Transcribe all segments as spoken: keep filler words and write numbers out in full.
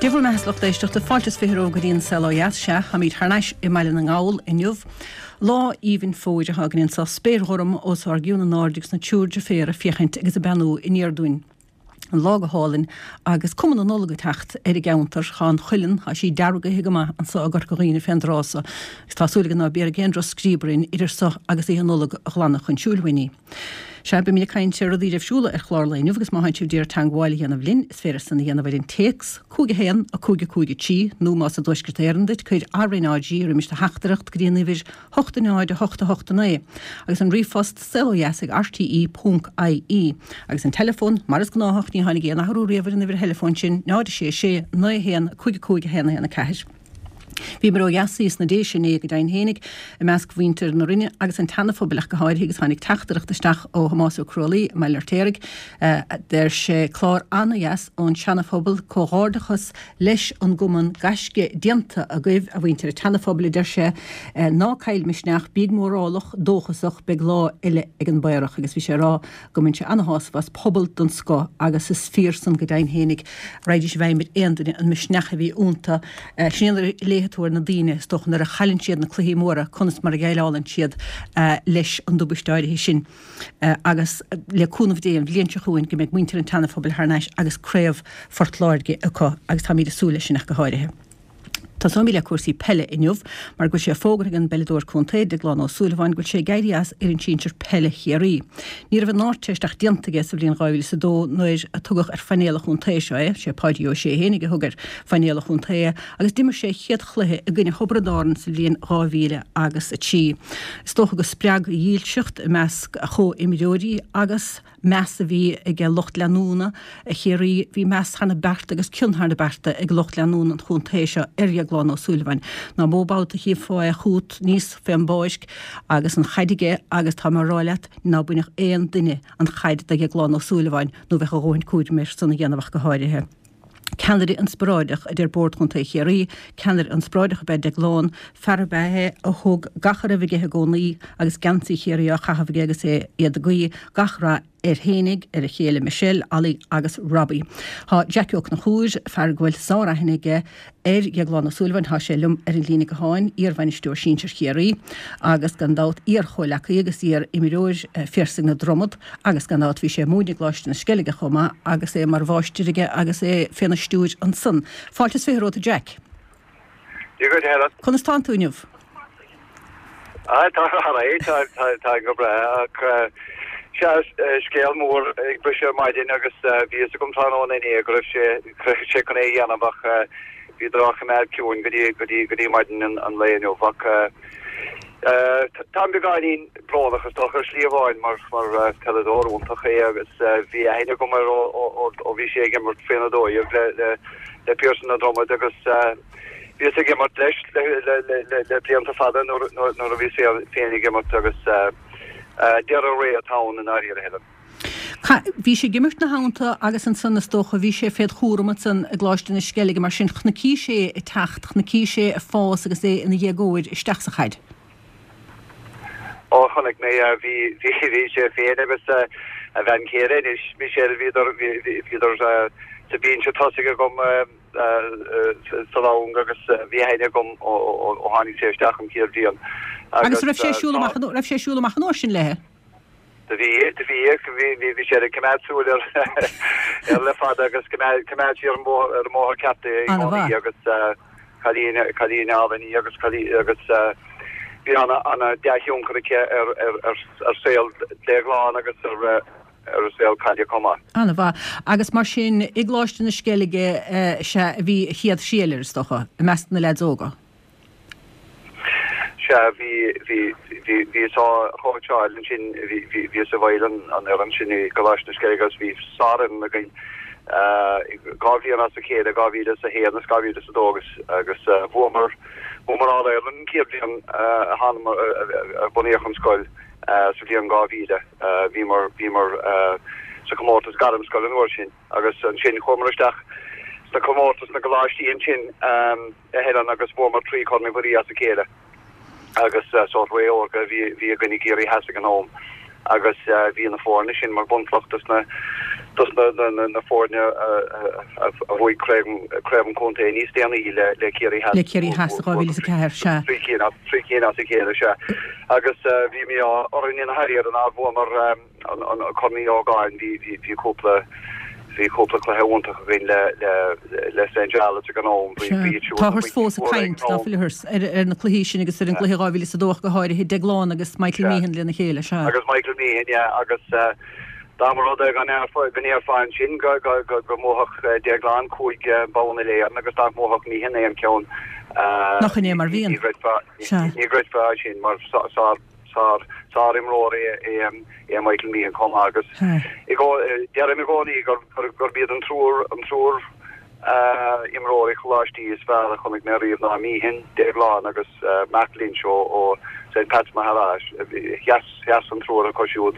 Dia bhur mbeatha, lucht éisteachta, fáilte is fiche romhaibh go dtí an Saol Ó Dheas. Sea, táimid thar n-ais i mBaile na nGall inniu. Lá aoibhinn fómhair atá againn anseo, spéir ghorm os ár gcionn in airde agus na triúr deirféar ag féachaint agus ag beannú aniar dúinn. An lá go hálainn agus cuma na Nollag ag teacht ar an gceantar. Tá an chuileann, tá sí deargaithe go maith anseo i gCorca Dhuibhne fén dtráth so agus tá súil againn ná béarfaidh aon drochscríob orainn idir so agus Oíche Nollag a ghlanadh chun siúil uainn í. Sea, beimid ag caint ar rudaí a raibh ar siúl ar chlár lae inniu agus má tánn sibh d'iarraidh teangmháil a dhéanamh linn, is féidir san a dhéanamh ar an téacs, cúig a haon, a cúig a cúig a trí, nó más i dTuaisceart Éireann duit, cuir RnaG roimis do theachtaireacht go dtí an uimhir hocht a náid a hocht a hocht a naoi, agus an ríomhphost, saolodheas ag rte ponc ie. Agus an teileafón, mar is gnáthach, ní tháinig aon athrú riamh ar an uimhir theileafóin sin, náid a sé a sé, naoi a haon, cúig a cúig a haon a haon a ceathair. Bhíomar ó dheas thíos sna Déise inné go deimhin fhéinig, i measc mhuintir na Rinne agus an tSeana-Phobail ach go háirithe agus tháinig teachtaireacht isteach ó Thomás Ó Crualaoi i mBaile an Fheirtéaraigh. Deir sé, Clár an-dheas ón Seana-Phobal, comhghairdeachas leis an gcumann, gaisce déanta agaibh a mhuintir an tSeana-Phobail a deir sé, ná caill misneach, bíg mórálach, dóchasach, beidh lá eile ag an bPaorach agus bhí sé ag rá go mbaineann sé ana-shásamh as pobal den scoth agus is fíor san go deimhin fhéinig. Raghaidís i bhfeidhm ar aon duine an misneach a bhí iontu. Sin é nuair a léifidh tú ar na daoine, is dócha, nuair a chailleann siad na cluichí móra, conas mar a dhéileálann siad leis an dtubaiste áirithe sin. Agus le cúnamh Dé an bhliain seo chugainn go mbeidh muintir an tSeana-Phobail thar n-ais agus craobh Phort Láirge acu agus táimid ag súil leis sin ach go háirithe. Tosóimid le cúrsaí peile inniu mar go bhfuil sé fógartha ag an bpeileadóir contae, Deaglán Ó Súilleabháin, go bhfuil sé ag éirí as fhoireann sinsir peile Chiarraí. Ní raibh an Ardteist ach déanta aige sa bhliain dhá mhíle is a dó nuair a tugadh ar phainéal an chontae seo é, sé Páidí Ó Sé fhéinig a thug ar phainéal an chontae é, agus d'imir sé a chéad chluiche i gcoinne Thiobraid Árann sa bhliain dhá mhíle agus a trí. Is dócha gur spreag a dhílseacht i measc a chomhimreoirí agus meas a bhí ag lucht leanúna Chiarraí. Bhí meas thar na bearta agus cion thar na bearta ag lucht leanúna an chontae seo ar Dheaglán Ó Súilleabháin. Nach mó babhta a chífeá é chugat aníos fén bpáirc agus an chaid aige agus tá mé a rá leat ná bainfeadh aon duine an chaid de Dheaglán Ó Súilleabháin nó bheadh a dhóthain cúraim air san a dhéanamh ach go háirithe. Ceannaire inspioráideach, a deir Bord Chontae Chiarraí, ceannaire inspioráideach ab ea Deaglán, fear ab ea é a thug gach a raibh aige i gcónaí agus geansaí Chiarraí á chaitheamh aige agus é iad ag guí gach rath air fhéinig, ar a chéile Michelle, Ollie agus Robbie. Tá Jackie Ó Conchúir, fear go bhfuil sár-aithne aige ar Dheaglán Ó Súilleabháin, tá sé liom ar an líne gutháin, iar-bhainisteoir sinsir Chiarraí agus gan dabht iar-chomhleacaí agus iar-imreoir Phiarsaigh na Dromad agus gan dabht bhí sé ag múineadh i gColáiste na Sceilge chomh maith agus é mar mháistir aige agus é féna stiúir ansan. Fáilte is fiche romhat a Jack. Dia dhuit a Helen. Conas tánn tú inniu? Ah, tá alright, tá tá tá go breá ach sea, scéal mór ag briseadh ar maidin agus bhí fhios agam tráthnóna inné go raibh sé go raibh sé chun é a dhéanamh ach bhíodar á choimeád ciúin go dtí go dtí go dtí maidin an an lae inniu ach táim beagáinín brónach is dócha ar shlí amháin mar mar peileadóir iontach é agus bhí aithne agam air ó ó ó bhí sé ag imirt faoina dó dhéag le le le Piarsaigh na Dromad agus bhíos ag imirt leis le blianta fada nuair a bhíos féin ag imirt agus deireadh ré atá ann i ndáiríre, Helen. Bhí sé ag imirt ina theannta agus ansan is dócha bhí sé féd chúram ansan i gColáiste na Sceilge mar sin chonaic sé ag teacht, chonaic sé ag fás agus é ina dhéagóir isteach sa chaid. Ó chonaic mé é, bhí bhí sé féin agus a bhean chéile anois, Michelle, bhíodar bhíodar sa binse tosaigh agam sa long agus bhí aithne agam ó tháinig sé isteach an chéad bhliain. Agus raibh sé ag siúl amach an raibh sé ag siúl amach an uair sin léi? Do bhí, do bhí, bhí, bhí sé ag coimeád súil air air le fada agus coimeád coimeád sí ar an mbóthar ar an mbóthar ceart é i gcónaí agus cailín cailín álainn í agus cailín agus bhí ana ana dea-thionchar aici ar ar ar ar saol Déaglán agus ar ar a saol caide chomh maith. Ana mhaith. Agus mar sin, i gColáiste na Sceilge sea a bhí a chéad thriail air, is dócha, i measc na leaids óga. Sea, bhí, bhí, bhí, bhíos á chóitseáil ansin, bhí, bhí, bhíos i bhfeighil an, an fhoireann sin i gColáiste na Sceilge agus bhí sárfhoireann againn dhá bhliain as a chéile, dhá mhíle is a haon is dhá mhíle is a dó agus, agus bhuamar, bhuamar All Ireland an chéad bhliain a thánamar, a bunaíodh an scoil sa bhliain dhá mhíle. Bhíomar, bhíomar sa chomórtas gairmscoile an uair sin agus ansin chuamar isteach sna comórtais na gcoláistí ansin a Helen agus bhuamar trí Chorn Uí Mhuirí as a chéile agus sórt ré órga a bhí, bhí againn i gCiarraí Theas ag an am agus bhí na foirne sin mar bunchloch dos na dos na na na foirne a bhuaigh craobh an chontae níos déanaí le le Ciarraí Theas. Le Ciarraí Theas dhá mhíle is a ceathair, sea. Trí cinn as trí cinn as a chéile, sea. Agus bhí mí-ádh orainn ina hairíocht nár bhuamar an an Corn Uí Ógáin, bhí bhí bhí cúpla bhí cúpla cluiche iontach againn le le le Saint Jarlath's ag an am, bhí bhí iad siúd Táthar fós ag caint, ná fuil ar ar na cluichí sin agus ar an gcluiche dhá mhíle is a dó ach go háirithe, Déaglán agus Michael Meehan lena chéile, sea. Agus Michael Meehan, yeah, agus dá mba rud é go ndéarfá ansin go go go go mbuafadh Déaglán cúig bonn uile-Éireann agus nach mbuafadh Meehan aon cheann, Nach in é mar bhíonn? ní gcreidfeá Sea. ní gcreidfeá sin mar sár sár sárimreoir é é Michael Meehan chomh maith agus i deirim i gcónaí gur gurb iad an triúr an triúr imreoirí choláistí is fearr a chonaic mé riamh ná Meehan, Déaglán agus Mark Lynch ó ó Saint Pat's Maghera. Sheas sheas an triúr acu siúd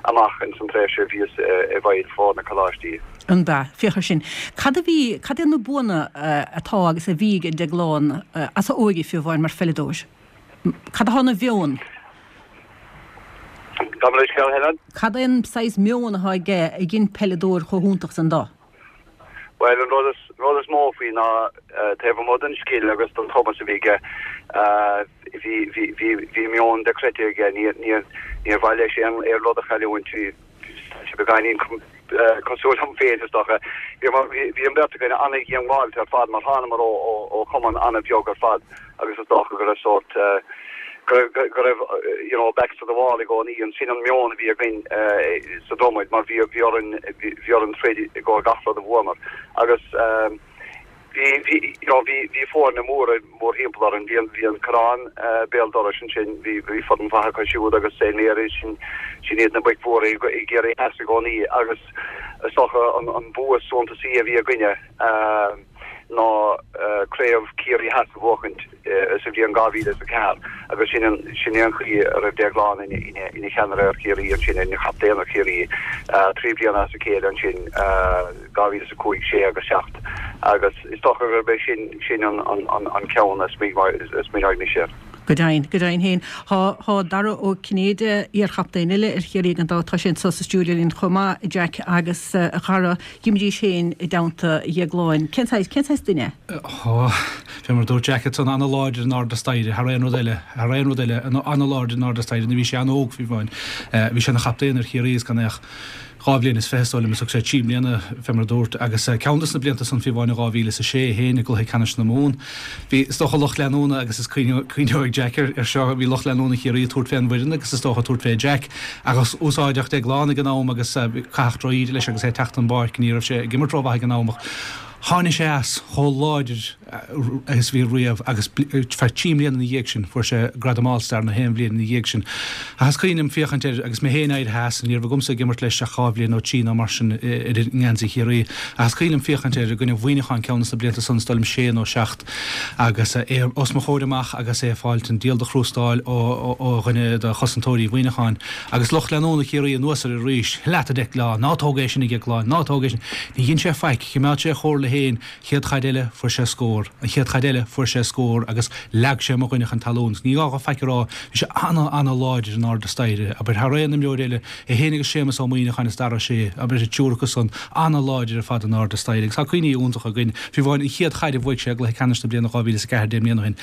amach ins an tréimhse a bhíos i bhfeighil foirne coláistí. An b'ea? Féach air sin. Cad a bhí, cad é na buanna atá agus a bhí ag Déaglán as a óige fiú amháin mar pheileadóir? Cad atá ina mheon? Gabh mo leithscéal, Helen? Cad é an saghas meon atá aige a dhein peileadóir chomh hiontach san dó? Bhuel, an rud is, rud is mó faoi ná taobh amuigh den scil agus den chumas a bhí aige, bhí, bhí, bhí, bhí meon dochreidte aige. Ní, ní, níor mhaith leis aon, aon rud a chailliúint. Bhí sé beagáinín cosúil liom féin, is dócha. Bhí, bhí, bhí an bheirt againn an-dhíongbháilte ar fad mar thánamar ó, ó, ó chumann an-bheag ar fad agus is dócha go raibh sórt, go raibh, go raibh, you know, backs to the wall i gcónaí. An sin an meon a bhí againn sa Dromaid mar bhí, bhí orainn, bhí orainn troid i gcomhair gach rud a bhuamar. Agus bhí, bhí, you know, bhí, bhí foirne móra mórthimpeall orainn. Bhí an, bhí an Corrán béal dorais ansin, bhí, bhí foireann mhaith acu siúd agus Saint Mary's, sin, sin iad na boic mhóra i gCiarraí Theas i gcónaí. Agus is dócha an, an bua is suntasaí a bhí againne ná craobh Chiarraí Theas a bhuachaint sa bhliain dhá mhíle is a ceathair agus sin an, sin é an chaoi a raibh Déaglán ina, ina, ina cheannaire ar Chiarraí ansin, ina chaptaen ar Chiarraí trí bliana as a chéile ansin, dhá mhíle is a cúig, sé agus seacht agus is dócha gurb é sin, sin an, an, an, an ceann a smaoineoidh mise air. Go deimhin, go deimhin féin. Tá, tá Dara Ó Cinnéide, iar-chaptaen eile ar Chiarraí gan dabht, tá sé anseo sa stiúideo linn chomh maith, a Jack, agus a Dhara, d'imrís féin i dteannta Dhéagláin. Cén saghas, cén saghas duine é? Ó, fé mar a dúirt Jack ansan, an-láidir in airde staighre, thar aon rud eile, thar aon rud eile, an-láidir in airde staighre, nuair a bhí sé an-óg fiú amháin. Bhí sé ina chaptaen ar Chiarraí is gan é ach dhá bhliain is fiche, is dóigh liom, is thug sé trí bliana, fé mar a dúirt, agus ceann de na blianta san fiú amháin in dhá mhíle is a sé féin i gcluiche ceannais na Mumhan. Bhí, is dócha, lucht leanúna, agus is cuimhneoidh Jack ar seo, bhí lucht leanúna Chiarraí ag tabhairt fén bhfoireann agus is dócha ag tabhairt fé Jack, agus úsáideadh Déaglán ag an am agus caitheadh droch-íde leis agus é ag teacht an bpáirc, ní raibh sé ag imirt rómhaith ag an am ach tháinig sé as chomh láidir agus a bhí riamh agus feadh trí mbliana ina dhiaidh sin fuair sé gradam All Star na haon bhliain ina dhiaidh sin. Ach is cuimhin liom féachaint air agus mé féin éirithe as, ní raibh agamsa ag imirt leis ach dhá bhliain nó trí nó mar sin ar i ngeansaí Chiarraí, ach is cuimhin liom féachaint air i gcoinne Mhuineacháin ceann de na blianta san, is dóigh liom sé nó seacht, agus é os mo chomhair amach agus é ag fáilt an diabhal de chrústáil ó ó dhuine de chosantóirí Mhuineacháin agus lucht leanúna Chiarraí anuas air arís, Leat a Dhéagláin, ná tóg é sin a Dhéagláin, ná tóg é sin. Ní dhein sé faic, choimeád sé a chomhairle féin, chéad chaid eile fuair sé scór, an chéad chaid eile fuair sé scór agus leag sé mo dhuine chun talún. Ní gá dho faic a rá, bhí sé ana-ana-láidir in airde staighre, abair, thar aon imreoir eile, é féin agus Séamus Ó Muimhneacháin is Dara Ó Sé, abair, an triúr acu san, ana-láidir ar fad in airde staighre agus tá cuimhní iontacha againn, fiú amháin an chéad chaid a bhuaigh sé i gcluiche ceannais na bliana dhá mhíle is a ceathair deich mbliana ó shin.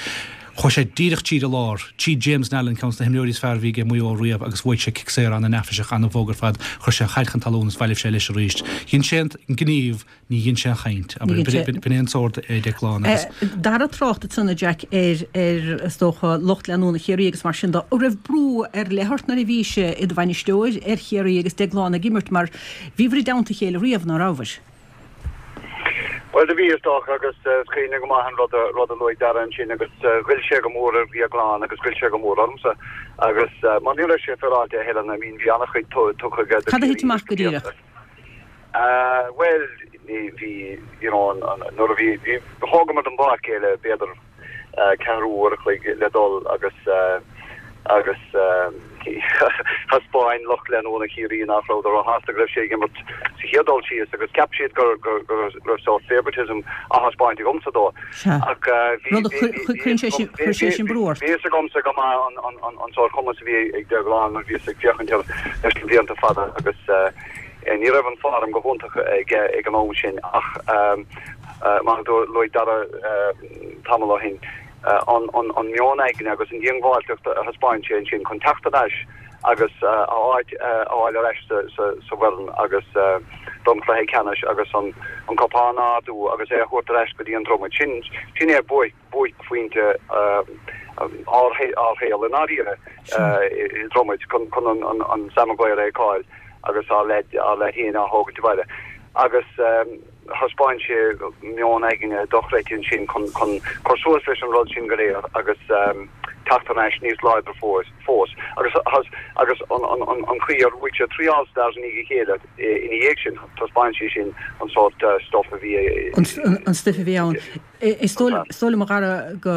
Chuaigh sé díreach tríd an lár, tríd James Nallen, ceann de na himreoirí is fearr a bhí ag Maigh Eo riamh agus bhuaigh sé cic saor ana-neafaiseach, ana-bhog ar fad. Chuir sé an chaid chun talún is bhailigh sé leis arís. Dhein sé an gníomh, ní dhein sé an chaint. Abair, b'in é an sórt é Declan agus. Dara trácht ansan, a Jack, ar, ar, is dócha, lucht leanúna Chiarraí agus mar sin de. An raibh brú ar leith ort nuair a bhís i do bhainisteoir ar Chiarraí agus Declan ag imirt mar bhíobhair i dteannta a chéile riamh, ná rabhabhair? Bhuel, do bhí, is dócha, agus is cuimhin liom go maith an rud a, rud a luaigh Dara ansin agus ghoill sé go mór ar Dhéaglán agus ghoill sé go mór ormsa agus mar ní raibh sé féaráilte a Helen, I mean bhí an-chuid tugtha aige do Cad a Chiarraí thit amach go sna díreach? blianta. Bhuel, ní, bhí, you know, an, an, nuair a bhí, bhí, thógamar den bpáirc é le b'fhéidir ceathrú uair a chloig le dul agus Agus thaispeáin lucht leanúna Chiarraí nach rabhadar róshásta go raibh sé ag imirt sa chéad dul síos agus cheap siad gur gur gur raibh sórt favoritism á thaispeáint agamsa dó. Ach chuir sé sin brú ort. Bhí fhios agamsa go maith an an an an sórt cumas a bhí ag Déaglán mar bhíos ag féachaint air leis na blianta fada agus ní raibh an form go hiontach ag ag an am sin ach mar a luaigh Dara tamall ó shin an an an meon aigne agus an diongbháilteacht a thaispeáin sé ansin chun teacht ar ais agus a áit a fháil ar ais sa sa sa bhfoireann agus don chluiche ceannais agus an an cupán a ardú agus é a thabhairt ar ais go dtí an Dromaid. Sin sin é buaic buaicphointe ár ár shaol i ndáiríre i Dromaid chun chun an an an Sam Maguire a fheiceáil agus ár leaid ár leaid féin á thógaint abhaile. Agus thaispeáin sé meon aigne dochreidte ansin chun chun cur suas leis an rud sin go léir agus teacht ar ais níos láidre fós fós. Agus agus an an an an chaoi ar bhuaigh sé trí All Stars i ndiaidh a chéile ina dhiaidh sin, taispeáin sé sin an sórt stuif a bhí an stuif a bhí ann. Is dóigh liom a Dhara go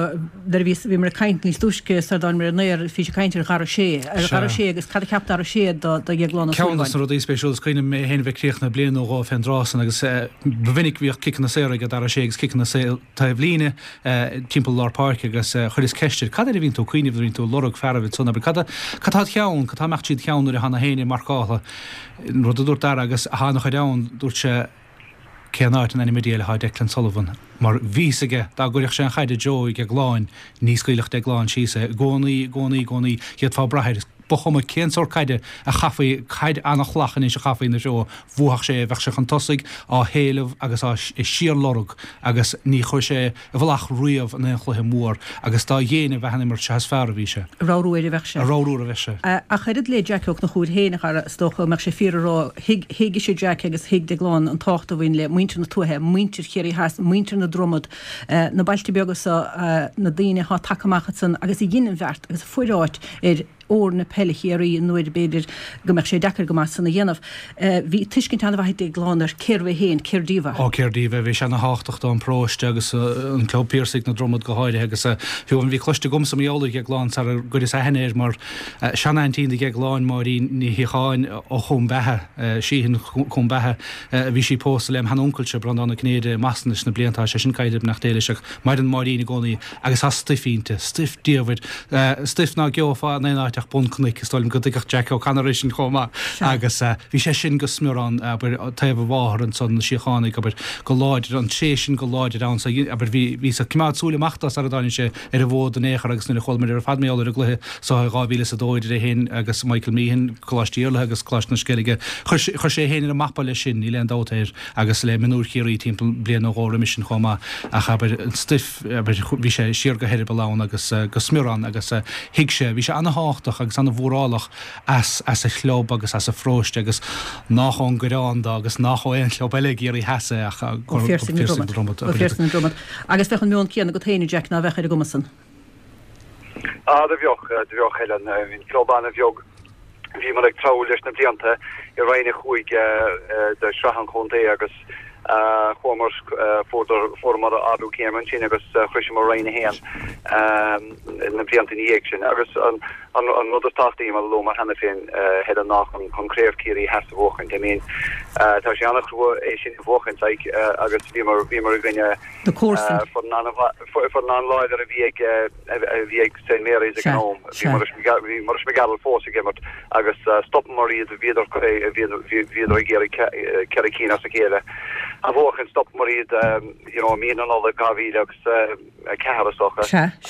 nuair a bhí bhíomar ag caint níos túisce sar dtáinigmir ar an aer bhí sé ag caint ar Dhara Ó Sé, ar Dhara Ó Sé agus cad a cheap Dara Ó Sé do do Dhéaglán Ó Ceann Súilleabháin. de na rudaí spéisiúla is cuimhin liom mé féin a bheith críochnaithe bliain nó dhó fén dtráth san agus ba mhinic bhíodh ciceanna saora ag Dara Ó Sé agus ciceanna saor taobh líne timpeall lár páirce agus chuireas ceist air cad air a bhíonn tú ag cuimhneamh nuair a bhíonn tú ag lorg fear a bheith san abair cad cad tá id cheann, cad tá ag imeacht tríd cheann nuair a thána féin ag marcáil an rud a dúirt Dara agus a thána chuid ann dúirt sé cén áit in ainm Dé atá Declan Sullivan mar bhí fhios aige dá gcuirfeadh sé an chaid i dtreo Dhéagláin ní scaoilfeadh Déaglán síos é i gcónaí i gcónaí i gcónaí d'fhéadfá brath air ba chuma cén sórt caide a chaithfí caid an-fhlach anois a chaithfí ina threo bhuafadh sé bheadh sé chun tosaigh á héileamh agus á síorlorg agus ní chuir sé i bhfolach riamh in aon chluiche mór agus dá dhéine a bheith an imirt seo is fearr a bhí sé. A ramhrú air a bheadh sé. A ramhrú a bheadh sé. Ach oiread le Jack Ó Conchúir féin a Dhara is dócha mbeadh sé fíor a rá thuig thuig sé Jack agus thuig Déaglán an tábhacht a bhain le muintir na tuaithe, muintir Chiarraí Theas, muintir na Dromad, na bailte beaga seo, na daoine atá tagtha amach ansan agus a dhein an bheart agus a fuair áit ar fhoirne peile Chiarraí nuair b'fhéidir go mbeadh sé deacair go maith san a dhéanamh. Bhí tuiscint an-mhaith ag Déaglán ar cérbh é féin, cér díobh é. Ó cér díobh é, bhí sé ana-thábhachtach don bparóiste agus an Club Piarsaigh na Dromad go háirithe agus fiú amháin bhí cloiste agamsa mar gheall ar Dhéaglán sar a gcuireas aithne air mar seanaintín do Dhéaglán Máirín Ní Shíocháin ó Chom Beatha, Sheehan Cúm Beatha, bhí sí pósta lem sheanuncailse Breandán Ó Cinnéide i mBoston leis na blianta, tá sé sin caillte beannacht Dé leis ach maireann Máirín i gcónaí agus tá stuif inti, stuif diamhair, stuif ná geofá in aon áit ach bun cnoic, is dóigh liom go dtuigfeadh Jack O'Connor é sin chomh maith. Agus bhí sé sin go smior ann, abair, taobh a mháthar ansan, na Síochánaigh, abair, go láidir, an tréith sin go láidir ann, so, abair, bhí, bhíos ag coimeád súil amach dó sara dtáinig sé ar an bhfód in aon chor agus nuair a chualamar ar fad mar gheall ar an gcluiche so i dhá mhíle is a dó idir é féin agus Michael Meehan, Coláiste Iarlaithe agus Coláiste na Sceilge, chuir sé, chuir sé é féin ar an mapa leis sin, níl aon dabht air, agus le mionúir Chiarraí timpeall bliain nó dhó roimis sin chomh maith, ach abair, an stuif, abair, bhí sé siar go heireaball ann agus go smior ann agus thuig sé, bhí sé ana-thábhachtach agus ana-mhórálach as, as a chlub agus as a pharóiste agus nách ón gCoireán dó agus nách ó aon chlub eile i gCiarraí Theas é ach Ó Phiarsaigh na Dromad. Ó Phiarsaigh na Dromad. Agus bheadh an meon céanna agat féin, a Jack, ná bheadh ar an gcuma san? Ah, do bheadh, do bheadh, Helen. Bhí an club ana-bheag. Bhíomar ag treabhadh leis na blianta i Roinn a Cúig de Shraith an Chontae agus chuamar, fuaireamar ardú céime ansin agus shroiseamar Roinn a hAon na blianta ina dhiaidh sin. Agus an rud is tábhachtaí, mar a luamar cheana féin, Helen, ná chun Craobh Chiarraí Theas a bhuachaint. I mean, tá sé an-chrua é sin a bhuachaint, like, agus bhíomar, bhíomar i gcoinne foireann an-láidir a bhí ag a bhí ag Saint Mary's ag an am. Bhí Bhí Maurice McGarrell fós ag imirt agus stopamar iad, bhíodar bhíodar ag iarraidh ceithre cinn as a chéile a bhuachan, stopamar iad you know mí na Nollag dhá mhíle agus a ceathair is dócha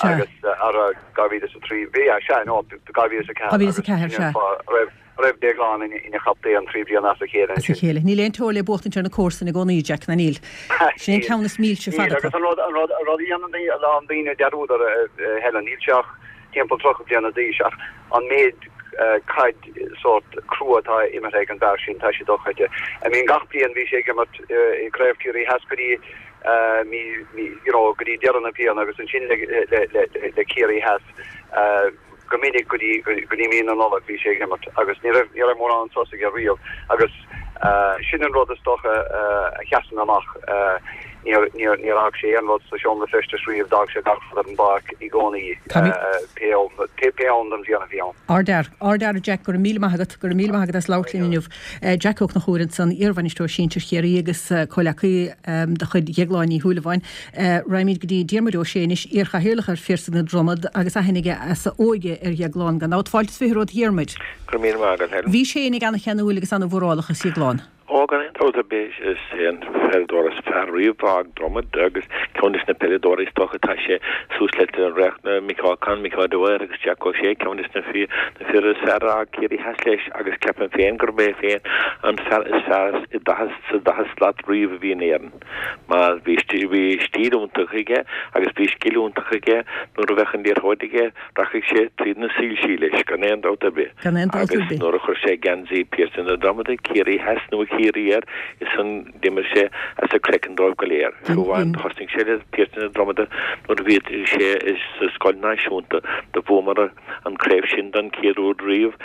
agus ar dhá mhíle is a trí, bhí, sea, no, dhá mhíle is a ceathair agus sin an fáth a raibh raibh Déaglán ina chaptaen trí bliana as a chéile As a ansin. chéile. Níl aon teora le buachtaint ar na comharsana i gcónaí, Jack, ná níl. Sin é an ceann is milse ar fad Níl, acu. agus an rud, an rud, an rud a dhéanann a lán daoine dearúd air, a Helen, níl sé ach timpeall tríocha bliana d'aois, ach an méid caid sórt crua atá imeartha ag an bhfear sin, tá sé dochreidte. I mean, gach bliain bhí sé ag imirt i gCraobh Chiarraí Theas go dtí mí, mí, you know, go dtí deireadh na bliana agus ansin le, le, le, le Ciarraí Theas. Go minic go dtí, go dtí mí na Nollag bhí sé ag imirt agus ní raibh, ní raibh mórán sos aige riamh agus sin an rud is dócha a sheasann amach. Níor níor níor fhág sé aon rud sa seomra feistis riamh, d'fhág sé gach rud ar an bpáirc i gcónaí pé am pé am den bhliain a bhí ann. Ardfhear, ardfhear a Jack, go raibh míle maith agat, go raibh míle maith agat as labhairt linn inniu. Jack Ó Conchúir ansan, iarbhainisteoir sinsir Chiarraí agus comhleacaí de chuid Dhéagláin Uí Shúilleabháin. Raghaimid go dtí Diarmuid Ó Sé anois, iarchathaoirleach ar Phiarsaigh na Dromad agus aithne aige as a óige ar Dhéaglán gan dabht. Fáilte is fiche romhat a Dhiarmuid. Go raibh míle maith agat, Helen. Bhí sé fhéinig ana-cheanúil agus ana-mhórálach is Dhéaglán. Ó, gan aon dabht ar bith, is é an peileadóir is fearr riamh a d'fhág Dromad agus ceann des na peileadóirí is dócha tá sé suas le Micheál Con, Micheál Dwyer agus Jack O'Shea, ceann des na fir is fearr a d'fhág Ciarraí Theas leis agus ceapaim féin gurb é féin an fear is fearr i daichead, sa daichead slat riamh a bhí in Éirinn mar bhí bhí stíl iontach aige agus bhí scil iontach aige nuair a bheadh an liathróid aige rachadh sé tríd na soilsí leis gan aon dabht ar bith. Gan aon dabht ar Agus bith. nuair a chuir sé geansaí Phiarsaigh na Dromada, Ciarraí Theas nó Ciarraí air, is ann d'imir sé as a chraiceann dóibh go léir. Fiú amháin thosnaigh sé le Piarsaigh na Dromada nuair a bhí sé sa scoil náisiúnta. Do bhuamar an craobh sin don chéad uair riamh,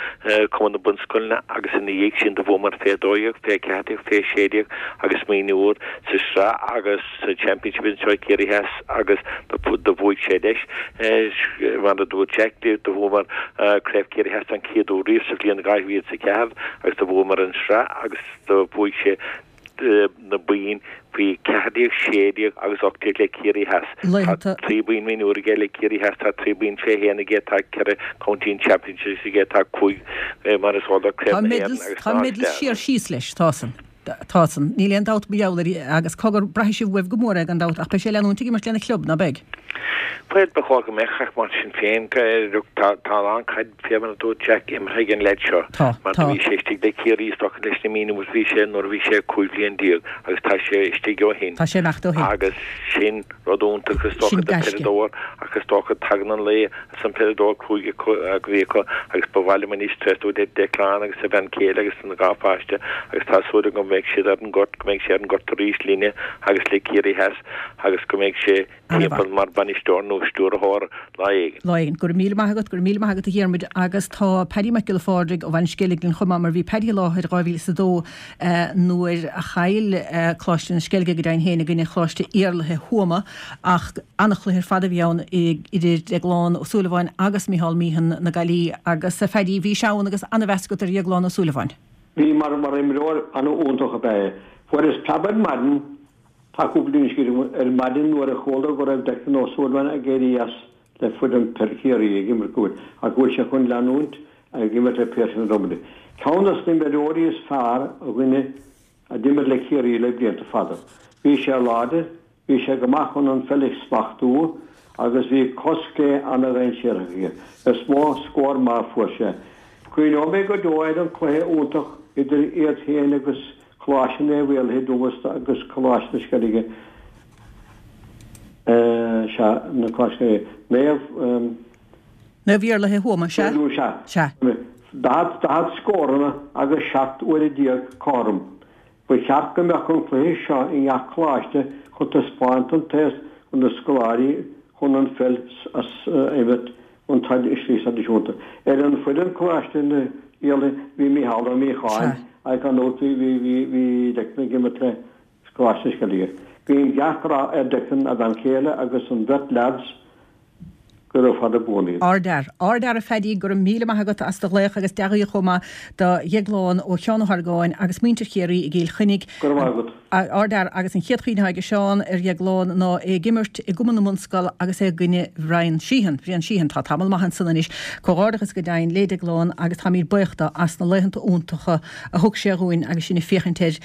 Cumann na Bunscoileanna, agus ina dhiaidh sin do bhuamar fé dó dhéag, fé ceathair déag, fé sé déag agus smaoineamh úr sa sraith agus sa Championship anseo i Ciarraí Theas agus do bhuaigh sé leis. Mar a dúirt Jack, do bhuamar Craobh Chiarraí Theas don chéad uair riamh sa bhliain dhá mhíle is a ceathair agus do bhuamar an sraith agus do bhuaigh sé na boinn faoi ceathair déag, sé déag agus ocht déag le Ciarraí Theas. Tá trí boinn mionúir aige le Ciarraí Theas, tá trí boinn fé haon aige, tá ceithre County Championships aige, tá cúig mar is eol duit Craobh na hÉireann agus Tá medals siar síos leis, tá san. Tá san. Níl aon dabht mar gheall air agus cogar, braithfidh sibh uaibh go mór é gan dabht ach beidh sé ag leanúint ag imirt lena chlub, ná beidh? Bhuel, ba chóir go mbeadh ach mar sin féin, tá a lán caid, fé mar a dúirt Jack, imeartha ag an leaid seo. Tá, Mar tá. do bhí sé istigh le Ciarraí is dócha leis na mionúir bhí sé nuair a bhí sé cúig bhliain déag agus tá sé istigh ó shin. Tá sé imeacht ó shin. Agus sin rud iontach is dócha Sin do gaisce. peileadóir ach is dócha tagann an lae is an peileadóir cúig acu a bhí acu agus ba mhaith liom anois tréaslú le Declan agus a bhean chéile agus na dhá pháiste agus tá súil agam go mbeidh siad ar an ngort, go mbeidh sé ar an ngort arís linne agus le Ciarraí Theas agus go mbeidh sé timpeall mar bhainisteoir nó stiúrthóir lá éigin. Lá éigin. Go raibh míle maith agat, go raibh míle maith agat a Dhiarmuid agus tá Paddy Mac Giolla Phádraig ó Bhaile an Sceilg linn chomh maith mar bhí Paddy i láthair dhá mhíle is a dó nuair a chaill Coláiste na Sceilge go deimhin féin i gcoinne Choláiste Iarlaithe Thuama ach an-chluiche ar fad a bhí ann idir Déaglán Ó Súilleabháin agus Micheál Meehan na Gaillimhe agus a Phaddy bhís ann agus an-mheas agat ar Dhéaglán Ó Súilleabháin. Bhí mar mar imreoir an-iontach ab ea é. Fuaireas preab ar maidin Tá cúpla duine scríofa ar maidin nuair a chuala go raibh Declan Ó Súilleabháin ag éirí as le foireann peil Chiarraí ag imirt go bhfuil ach go bhfuil sé chun leanúint ag imirt le Piarsaigh na Dromoda. Ceann de na himreoirí is fearr a dhuine a d'imir le Ciarraí le blianta fada. Bhí sé láidir, bhí sé go maith chun an pheil a smachtú agus bhí cos chlé an-dainséarach aige. Is mó scór maith a fuair sé. Cuimhneoidh mé go deo ar an cluiche iontach idir iad féin agus Coláiste Naomh Iarlaith i dTuama agus Coláiste na Sceilge, sea, na Coláiste Naomh. Naomh Iarlaith i Thuama, sea? Sea. Sea. Daichead, daichead scóranna agus seacht uaire déag cothrom. Ba cheart go mbeadh an cluiche seo i ngach coláiste chun taispeáint don t-aos chun na scoláirí chun an pheil a imirt an tslí traidisiúnta. Ar an foireann Coláiste na Iarlaith bhí Mícheál Ó Míocháin ach gan dabht bhí bhí bhí bhí Declan ag imirt le Coláiste na Sceilge. Guím gach rath ar Declan, a bhean chéile agus an bheirt leaids. Gura fada buan iad. Ardfhear. Ardfhear a Phaddy, go raibh míle maith agat as do ghlaoch agus dea-ghuí chomh maith do Dhéaglán ó Sheán Ó hArgáin agus muintir Chiarraí i gCill Chainnigh. Go raibh maith agat. Ardfhear agus an chéad chuimhne atá ag Seán ar Dhéaglán ná é ag imirt i gCumann na mBunscol agus é i gcoinne Bhrian Sheehan. Bhrian Sheehan. Tá tamall maith ansan anois. Comhghairdeachas go deimhin le Déaglán agus táimid buíoch dó as na laethanta iontacha a thug sé dhúinn agus sinn ag féachaint air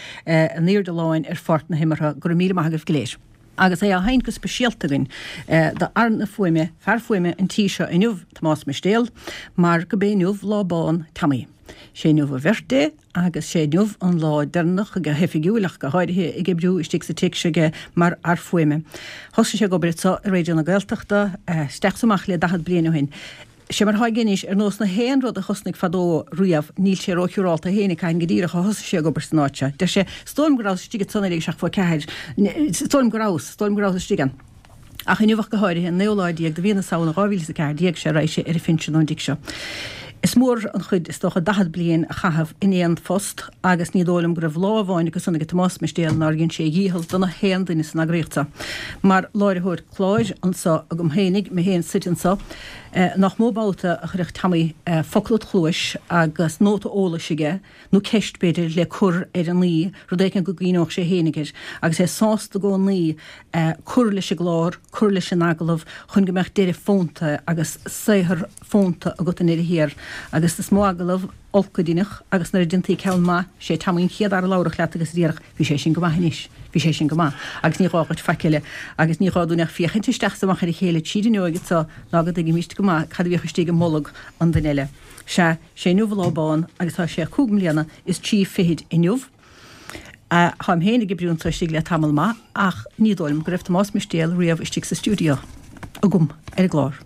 in airde láin ar pháirc na himeartha. Go raibh míle maith agaibh go léir. Agus é á sheinnt go speisialta againn do fhear na fuaime, fear fuaime an tí seo inniu, Tomás Mistéal, mar go b'é inniu lá bán Tommy. Sé inniu a bhirthday agus sé inniu an lá deireanach go hoifigiúil ach go háirithe ag oibriú istigh sa tigh seo aige mar fhear fuaime. Thosaigh sé ag obair anseo i Raidió na Gaeltachta isteach is amach le daichead bliain ó shin. Sé mar atá aige anois, ar nós na haon rud a thosnaigh fadó riamh, níl sé róshiúrálta fhéinig cathain go díreach a thosaigh sé ag obair san áit seo. Deir sé, Is dóigh liom go rabhas istigh ansan ag seacht fá ceathair, is dóigh liom go rabhas, is dóigh liom go rabhas istigh ann. Ach inniu ach go háirithe, an naoú lá déag de mhí na Samhna dhá mhíle is a ceathair déag, sea, raghaidh sé ar a phinsean ón dtigh seo. Is mór an chuid, is dócha, daichead bliain a chaitheamh in aon phost agus ní dóigh liom go raibh lá amháin acu san ag Tomás Mistéal nár dhein sé a dhícheall do na haon duine san eagraíocht seo. Mar láithreoir cláir anso agam fhéinig, mé féin suite anso, nach mó babhta a chuirfeadh Tommy focal id chluais agus nóta eolais aige, nó ceist b'fhéidir, le cur ar an aoi, rud éicint go gcuimhneodh sé fhéinig air, agus é sásta i gcónaí cur leis an gclár, cur leis an agallamh chun go mbeadh deireadh fónta agus saothar fónta agat i ndeireadh thiar. Agus is mó agallamh olc a deineadh agus nuair a deintaí ceann maith, sé Tommy an chéad fhear a labharfadh leat agus a déarfadh, bhí sé sin go maith anois, bhí sé sin go maith, agus ní gá duit faic eile, agus ní gá dúinn ach féachaint isteach is amach ar a chéile tríd an fhuinneoig anso ná go dtuigimíst go maith cad a bhíodh istigh i mbolg an duine eile. Sea, sé inniu an lá bán agus tá sé cúig mbliana is trí fichid inniu. Táim féin ag oibriú anso istigh le tamall maith ach ní dóigh liom go raibh Tomás Mistéal riamh istigh sa stiúideo agam ar an gclár.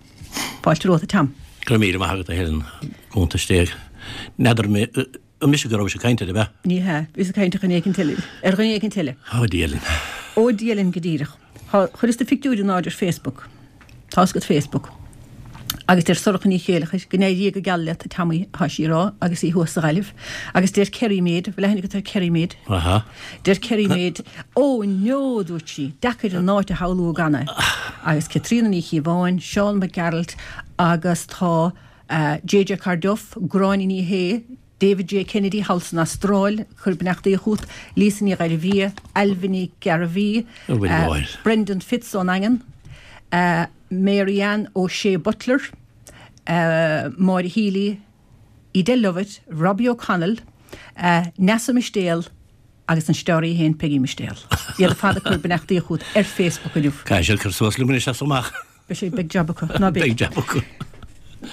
Fáilte romhat a Tom. Go raibh míle maith agat a Helen, cuntas déag. N'fheadar mé, an mise go rabhais ag caint air, ab ea? Ní hea, bhíos ag caint ar dhuine éicint eile, ar dhuine éicint eile. Ó a Dhia linn. Ó Dia linn go díreach. Chuireas do phictiúr in airde ar Facebook. Tá's agat Facebook. Agus deir Sorcha Ní Chéileachair, Go n-éirí go geal leat, a Tommy, atá sí a rá agus í thuas sa Ghaillimh. Agus deir Kerry Maid, bhfuil aithne agat ar Kerry Maid? Aha. Deir Kerry Maid, Ó, no, a dúirt sí, deacair an áit a shamhlú gan é. Agus Caitríona Ní Chíobháin, Seán Mac Gearailt agus tá JJ Carduff, Gráinne Ní Shé, David J Kennedy thall san Astráil, ag cur beannachtaí chugat, Lisa Ní Ghairbhia, Ailbhe Ní Ghearbhuigh, Brendan Fitz ón nDaingean, Mary Ann O'Shea Butler, Máire Healy, Edel Lovett, Robbie O'Connell, Neasa Mistéal agus an staraí féin Peggy Mistéal. Iad ar fad ag cur beannachtaí chugat ar Facebook inniu. Caithfidh siad cur suas liom anois as amach. Beidh sé, beidh jab acu, ná beidh? Beidh jab acu.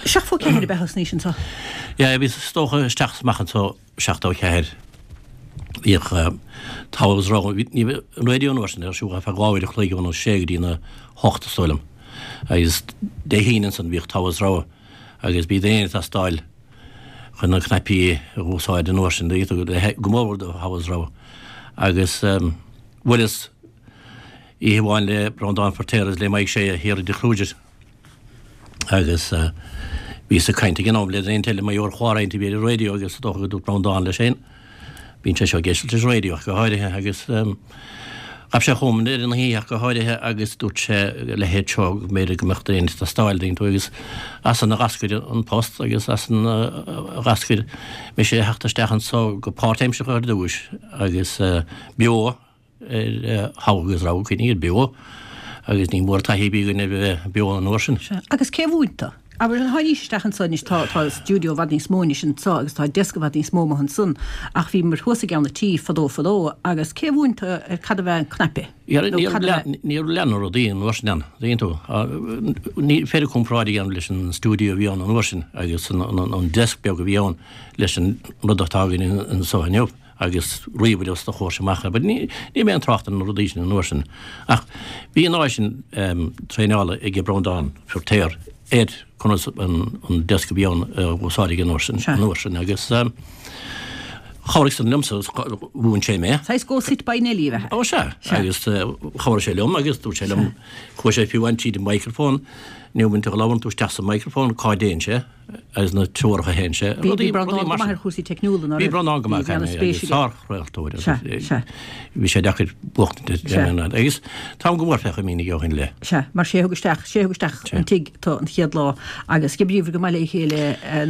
Seachtó ceathair ab ea thosnaís anso? Yeah, bhíos is dócha isteach is amach anso seachtó ceathair. Bhíodh togha agus rogha, ní bheadh an raidió an uair sin ar siúl ar feadh dhá uair a chloig óna sé go dtí na hocht is dóigh liom. Agus Dé hAoine ansan bhíodh togha is rogha agus bhí daoine ag teastáil chun na cnaipí a úsáid an uair sin, go mór mhór do thogha is rogha. Agus bhuaileas oíche amháin le Breandán Feirtéar agus le Mike Shea thiar i dTigh Kruger. Agus bhíos ag caint ag an am le duine eile mar gheall ar chlár éicint a bhí ar an raidió agus is dócha go dúirt Breandán leis féin, bíonn sé seo ag éisteacht leis an raidió ach go háirithe agus ghabh sé chugam ar an oíche ach go háirithe agus dúirt sé a leithéid seo go mb'fhéidir go mbeadh duine ag teastáil dtuigeann tú agus as san a d'eascair an post agus as san a d'eascair mise a theacht isteach anso go páirtaimseartha ar dtúis agus beo ar thogha agus rogha, cuimhnigh ar beo agus ní mór taithí a bhí againn ar bheith beo an uair sin. Sea. Agus cé a mhúin tú? Abair, tháinís isteach anso anois, tá, tá stiúideo i bhfad níos mó anois anso agus tá desk i bhfad níos mó amuigh ansan ach bhíomar thuas i gceann an tí fadó fadó agus cé a mhúin tú ar cad ab ea an cnaipe? Nó cad ab ea. Ní raibh leath na rudaí an uair sin ann, tuigeann tú. Ní féidir comparáid a dhéanamh leis an stiúideo a bhí ann an uair sin agus an, an, an desk beag a bhí ann leis an rud atá againn anso inniu. agus ríomhaire os do chomhair amach. But ní ní raibh aon trácht ar na rudaí sin an uair sin. Ach bhí an áis sin traenála ag Breandán Feirtéar ar conas an an desk a bhí ann a úsáid ag an uair sin an uair sin agus chabhraigh san liomsa mhúin sé mé. Saghas Go Sit By Nelly ab ea? Ó sea. Agus chabhraigh sé liom agus dúirt sé liom chuaigh sé fiú amháin tríd an microphone, ní bhíonn tú ag labhairt tú isteach sa microphone cá dtéann sé. agus na treoracha a théann sé. Bhí Rudaí Breandán go maith ar chúrsaí teicniúla, ná Bhí raibh? Breandán go maith, Bhí ana-spéis aige. sár-chraoltóir Sea, agus sea. bhí sé deacair buachtaint Sea. agus táim go mór fé chuimhne aige ó shin i leith. Sea, mar sé a thug isteach, sé a thug isteach Sea. an tigh tú an chéad lá agus d'oibríobhair go maith le chéile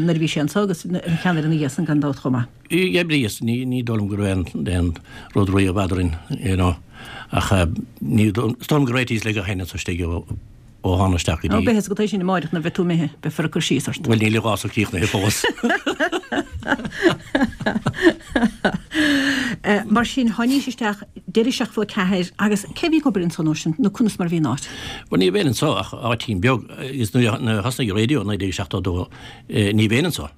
nuair a bhí sé anso agus ina cheannaire ina dhiaidh san gan dabht chomh maith. D'oibríos, ní ní dóigh liom go raibh aon aon rud riamh eadrainn, you know, ach ní is dóigh liom gur réitíos le gach éinne anso istigh ó Ó thána isteach go Ó, dtí. beidh fhios agat é sin amáireach nuair a bheidh tú imithe, beifear ag cur síos ort. Bhuel, níl an rás críochnaithe fós. Mar sin, tháinís isteach deireadh seachtó a ceathair agus cé a bhí ag obair ansan uair sin nó conas mar a bhí an áit? Bhuel, ní raibh éinne anso ach áitín beag agus nuair a thosnaigh an raidió i naoi déag seachtó a dó ní raibh éinne anso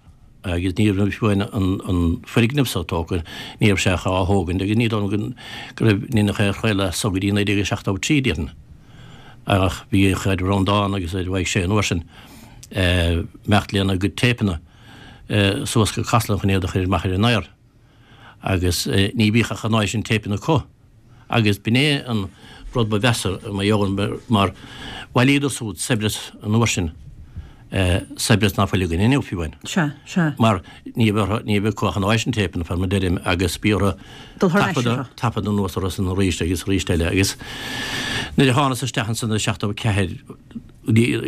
agus ní raibh fiú amháin an foirgneamh so tógtha, ní raibh sé ach á thógaint agus ní dóigh liom go raibh aon chraoladh as so go dtí naoi déag seachtó a trí, déarfainn. Ach bhíodh ar Bhreandán agus ar Mhaidhc Sé an uair sin imeacht lena gcuid téipeanna suas go Casla chun iad a chur amach ar an aer. Agus ní bhíodh ach an oiread sin téipeanna acu. Agus b'in é an rud ba mheasa mar gheall mar bhailíodar súd saibhreas an uair sin saibhreas ná fuil againn inniu fiú amháin. Sea, sea. Mar ní bheadh ní bheadh acu ach an áis an téipeanna fé mar a deirim agus bhí orthu Dul thar n-ais taifeadadh orthu. taifeadadh anuas orthu san arís agus arís eile agus nuair a thánas isteach ansan i seachtó a ceathair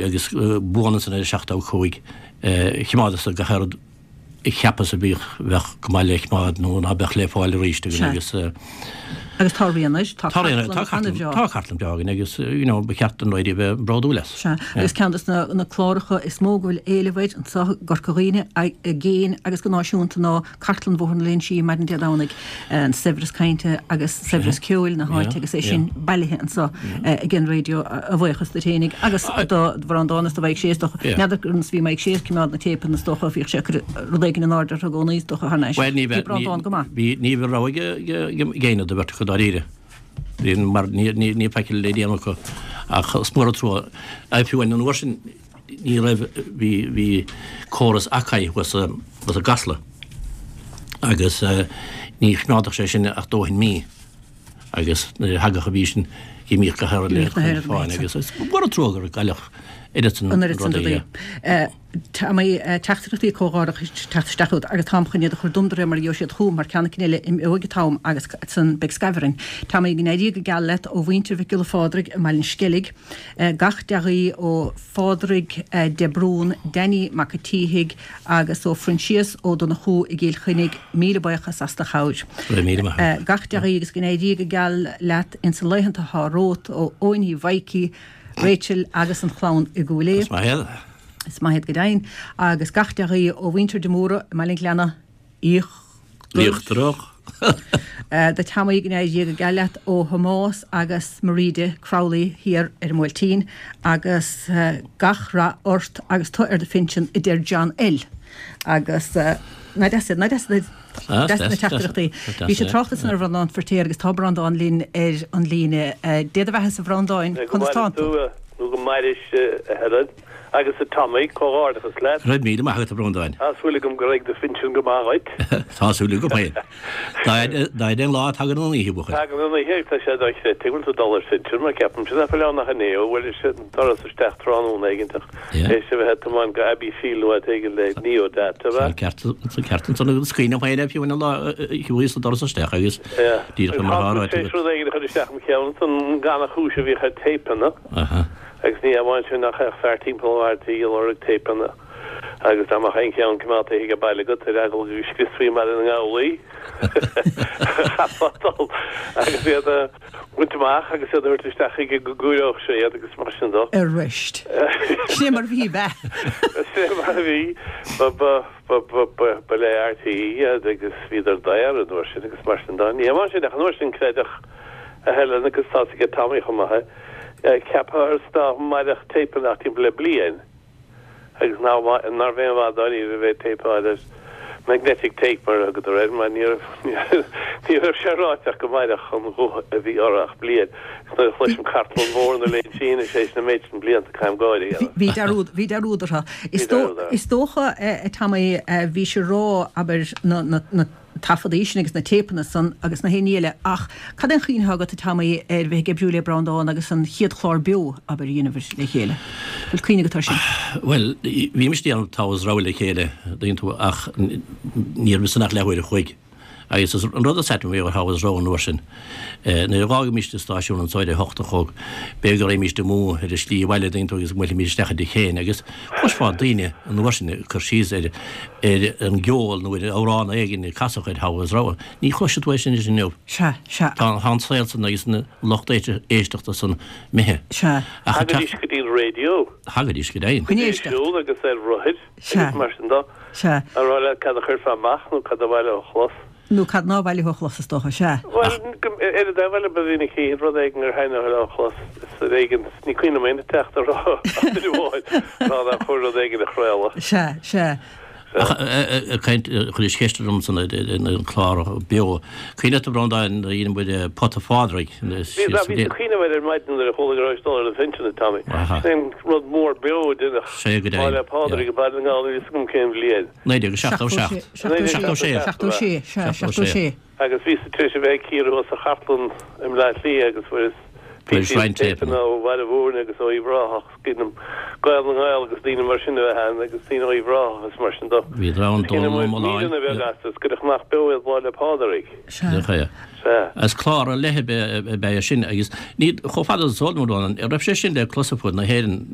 agus buan ansan i seachtó a cúig choimeádas gach aon rud a cheapas a bhíodh bheadh go maith le coimeád nó ná beadh le fáil arís againn agus Agus tá rian air, tá Tá rian air, cartlann tá cartlann, an-bhreá. tá cartlann bhreá againn agus you know ba cheart don raidió bheith bródúil as. Sea, agus ceann de na na cláracha is mó go bhfuil éileamh air anseo i gCorca Dhuibhne, i gcéin agus go náisiúnta ná Cartlann Bhóthar na Léinsí maidin Dé Domhnaigh, an saibhreas cainte agus saibhreas ceoil na háite agus é sin bailithe anseo ag an raidió a bhuíochas duit fhéinig agus do Bhreandán is do Mhaidhc Sé is dócha. N'fheadar conas a bhí Maidhc Sé ag coimeád na téipeanna is dócha, bhíodh sé ag cur rud éigin in airde orthu i gcónaí is dócha thar n-ais. Bhuel ní Bhí bheith, ní, Breandán go maith. bhí, ní bheadh rogha ag, ag, ag éinne de bheirt acu dáiríre. Bhí, mar ní, ní, ní faichill le déanamh acu ach is mór an trua. Fiú amháin an uair sin ní raibh, bhí, bhí córas Akai thuas sa, thuas i gCasla agus ní choimeádfadh sé sin ach dóthain mí agus nuair a thagadh an mhí sin dh'imíodh gach aon rud le D'imíodh na chun fáin rudaí. agus is mór an trua gur cailleadh oiread san An oiread san rudaí. rudaí. Tá mé teachtaireachtaí comhghairdeachais ag teacht isteach chugat agus táim chun iad a chur dom de réir mar a gheobhaidh siad chugam mar ceann eicínt eile imeoidh an t-am agus ansan beidh scaimh orainn. Tá mé go n-éirí go geal leat ó mhuintir Mhic Giolla Phádraig i mBaile an Sceilg, gach dea-ghuí ó Phádraig de Brún, Danny Mac a' tSíthigh agus ó Phroinsias Ó Donnchú i gCill Chainnigh, míle buíochas as do chabhair. Go raibh míle maith agat. Gach dea-ghuí agus go n-éirí go geal leat insa laethanta atá romhat ó Eoin Uí Mhaidhcí, Rachel agus an chlann i gCúil Aodha. Is maith iad. Is maith iad go deimhin. Agus gach dea-ghuí ó mhuintir de Mórdha i mBaile an Ghleanna Íochtarach. Do Tommy go n-éirí go geal leat ó Thomás agus Maríde Crowley thiar ar an mBuailtín agus gach rath ort agus tú ar do phinsean a deir John L. Agus ná deas iad, ná deas iad deas na teachtaireachtaí. Bhí sé tráchta ansan ar Bhreandán Feirtéar agus tá Breandán linn ar an líne. Dé do bheatha-sa a Bhreandáin, Go conas mairis tánn tú? tú, nó go mairis a Helen agus a Tommy, comhghairdeachas leat. Go raibh míle maith agat a Bhreandáin. Tá súil agam go raibh do phinsean go maith dhuit. Tá súil agam féin. Dá fhaide an lá tagann an oíche, buachaill. Tagann an oíche, tá sé dochreidte go bhfuil tú ag dul ar phinsean, mar ceapaimse nach bhfuil ann ach inné ó bhuaileas an doras isteach tráthnóna éigin ach théis a bheith ag tiomáint go Abbeyfeale nó áit éigin le Neodata, Tá ceart tá ceart ansan agus cuimhním féin air fiú an lá a chuaigh sa doras isteach agus díreach mar atá ráite agat. Tá rud éigin a chur isteach im cheann ansan gannchúis a bhíodh ar téipeanna. Aha. Agus ní amháin sin ach théadh fear timpeall an tí ag lorg téipeanna agus dá mbeadh aon cheann coimeádta ag baile agat ar eagla go scriosfaí i mBaile na nGall í, chaithfeá dul agus iad a bhaint amach agus iad a thabhairt isteach chuige go gcóireodh sé iad agus mar sin dó. Arís. Sin é mar a bhí, ab ea? Sin é mar a bhí. Ba, ba, ba, ba, ba, ba le RTÉ iad agus bhíodar daor an uair sin agus mar sin dó. Ní amháin sin ach an uair sin creideadh a Helen agus tá's aige Tommy chomh maith é, ceaptha ar ná mairfeadh téipeanna ach timpeall le bliain agus nárbh aon mhaith dáiríre a bheith ag téipeáil ar magnetic tape mar a thugadar air mar ní raibh ní raibh sé ráite ach go mairfeadh an guth a bhí orthu ach bliain. Agus nuair a chloisim Cartlann Bhóthar na Léinsí anois éis na méid sin blianta caithim gáire a dhéanamh. Bhí dearúd bhí dearúd orthu. Bhí dearúd orthu. Is dócha a Tommy bhís ag rá abair na na na taifeadaí sin agus na téipeanna san agus na haon ní eile ach cad é an chuimhne atá agat a Tommy ar bheith ag oibriú le Breandán agus an chéad chlár beo abair a dhéanamh le chéile? Bhfuil cuimhne agat air sin? Bhuel, bhímis ag déanamh Togha is Rogha le chéile, dtuigeann tú, ach ní raibh san ach leathuair a chloig. Agus is an rud is ait liom faoi Togha is Rogha an uair sin, nuair a dh'fhágaimis an stáisiún anso ar a hocht a chlog, b'fhéidir go raghaimíst amú ar an slí abhaile, dtuigeann tú, agus go mbuailfimís isteach i dtigh Shéain agus chloisfeá daoine an uair sin ag cur síos ar ar an gceol nó ar amhrán éigin a casadh ar Togha is Rogha. Ní chloisfidh tú é sin anois inniu. Sea, sea. Tá an saol san agus an lucht éisteachta san imithe. Sea. Ach Thagaidís go dtí an raidió. Thagaidís go deimhin. Chun éisteacht. Ar siúl agus ar rothair Sea. agus mar sin dó. Sea. A rá leat cad a chuirfeá amach nó cad ba mhaith leo a chlos. Nó cad nár mhaith leo a chlos, is dócha, sea. Bhuel, ar an dtaobh eile, ba mhinic rud éigin gur thaitneodh leo a chlos, is ar éigean, ní cuimhin liom aon teachta a rá ach duine amháin, rá nár chóir rud éigin a chraoladh. Sea, sea. Ach ag caint, chuiris ceist orm san an clár beo. Cuimhin leat a Bhreandáin, nuair a dhein muid Pota Phádraig. Bhí, bhí mé ag cuimhneamh air ar maidin nuair a chuala go rabhais ag dul ar an phinsean, a Tommy. Sin é an rud mór beo a deineadh Lá 'le Pádraig i Baile na nGall, níl a fhios agam cén bhliain. Naoi déag seachtó seacht. Seachtó sé. Seachtó sé, sea, seachtó sé. Agus bhíos tar éis a bheith ag cíoradh thuas sa chartlann i mBleá Cliath agus fuaireas Fuaireas roinnt téipeanna ó Bhaile Mhúirne agus ó Uíbh Ráthach, is cuimhin liom Gael na nGael agus daoine mar sin a bheith ann agus daoine ó Uíbh Ráthach agus mar sin de. Bhíodar ann, Is cuimhin Dónal liom Ó Mulláin. míreanna beaga astu, is cuireadh nach beo iad Lá 'le Pádraig. Sea. Nach ea. Sea. Is clár ar leith ab ea ab ea é sin agus ní, chomh fada is eol dom, a Rónáin, an raibh sé sin le clos ar fud na hÉireann,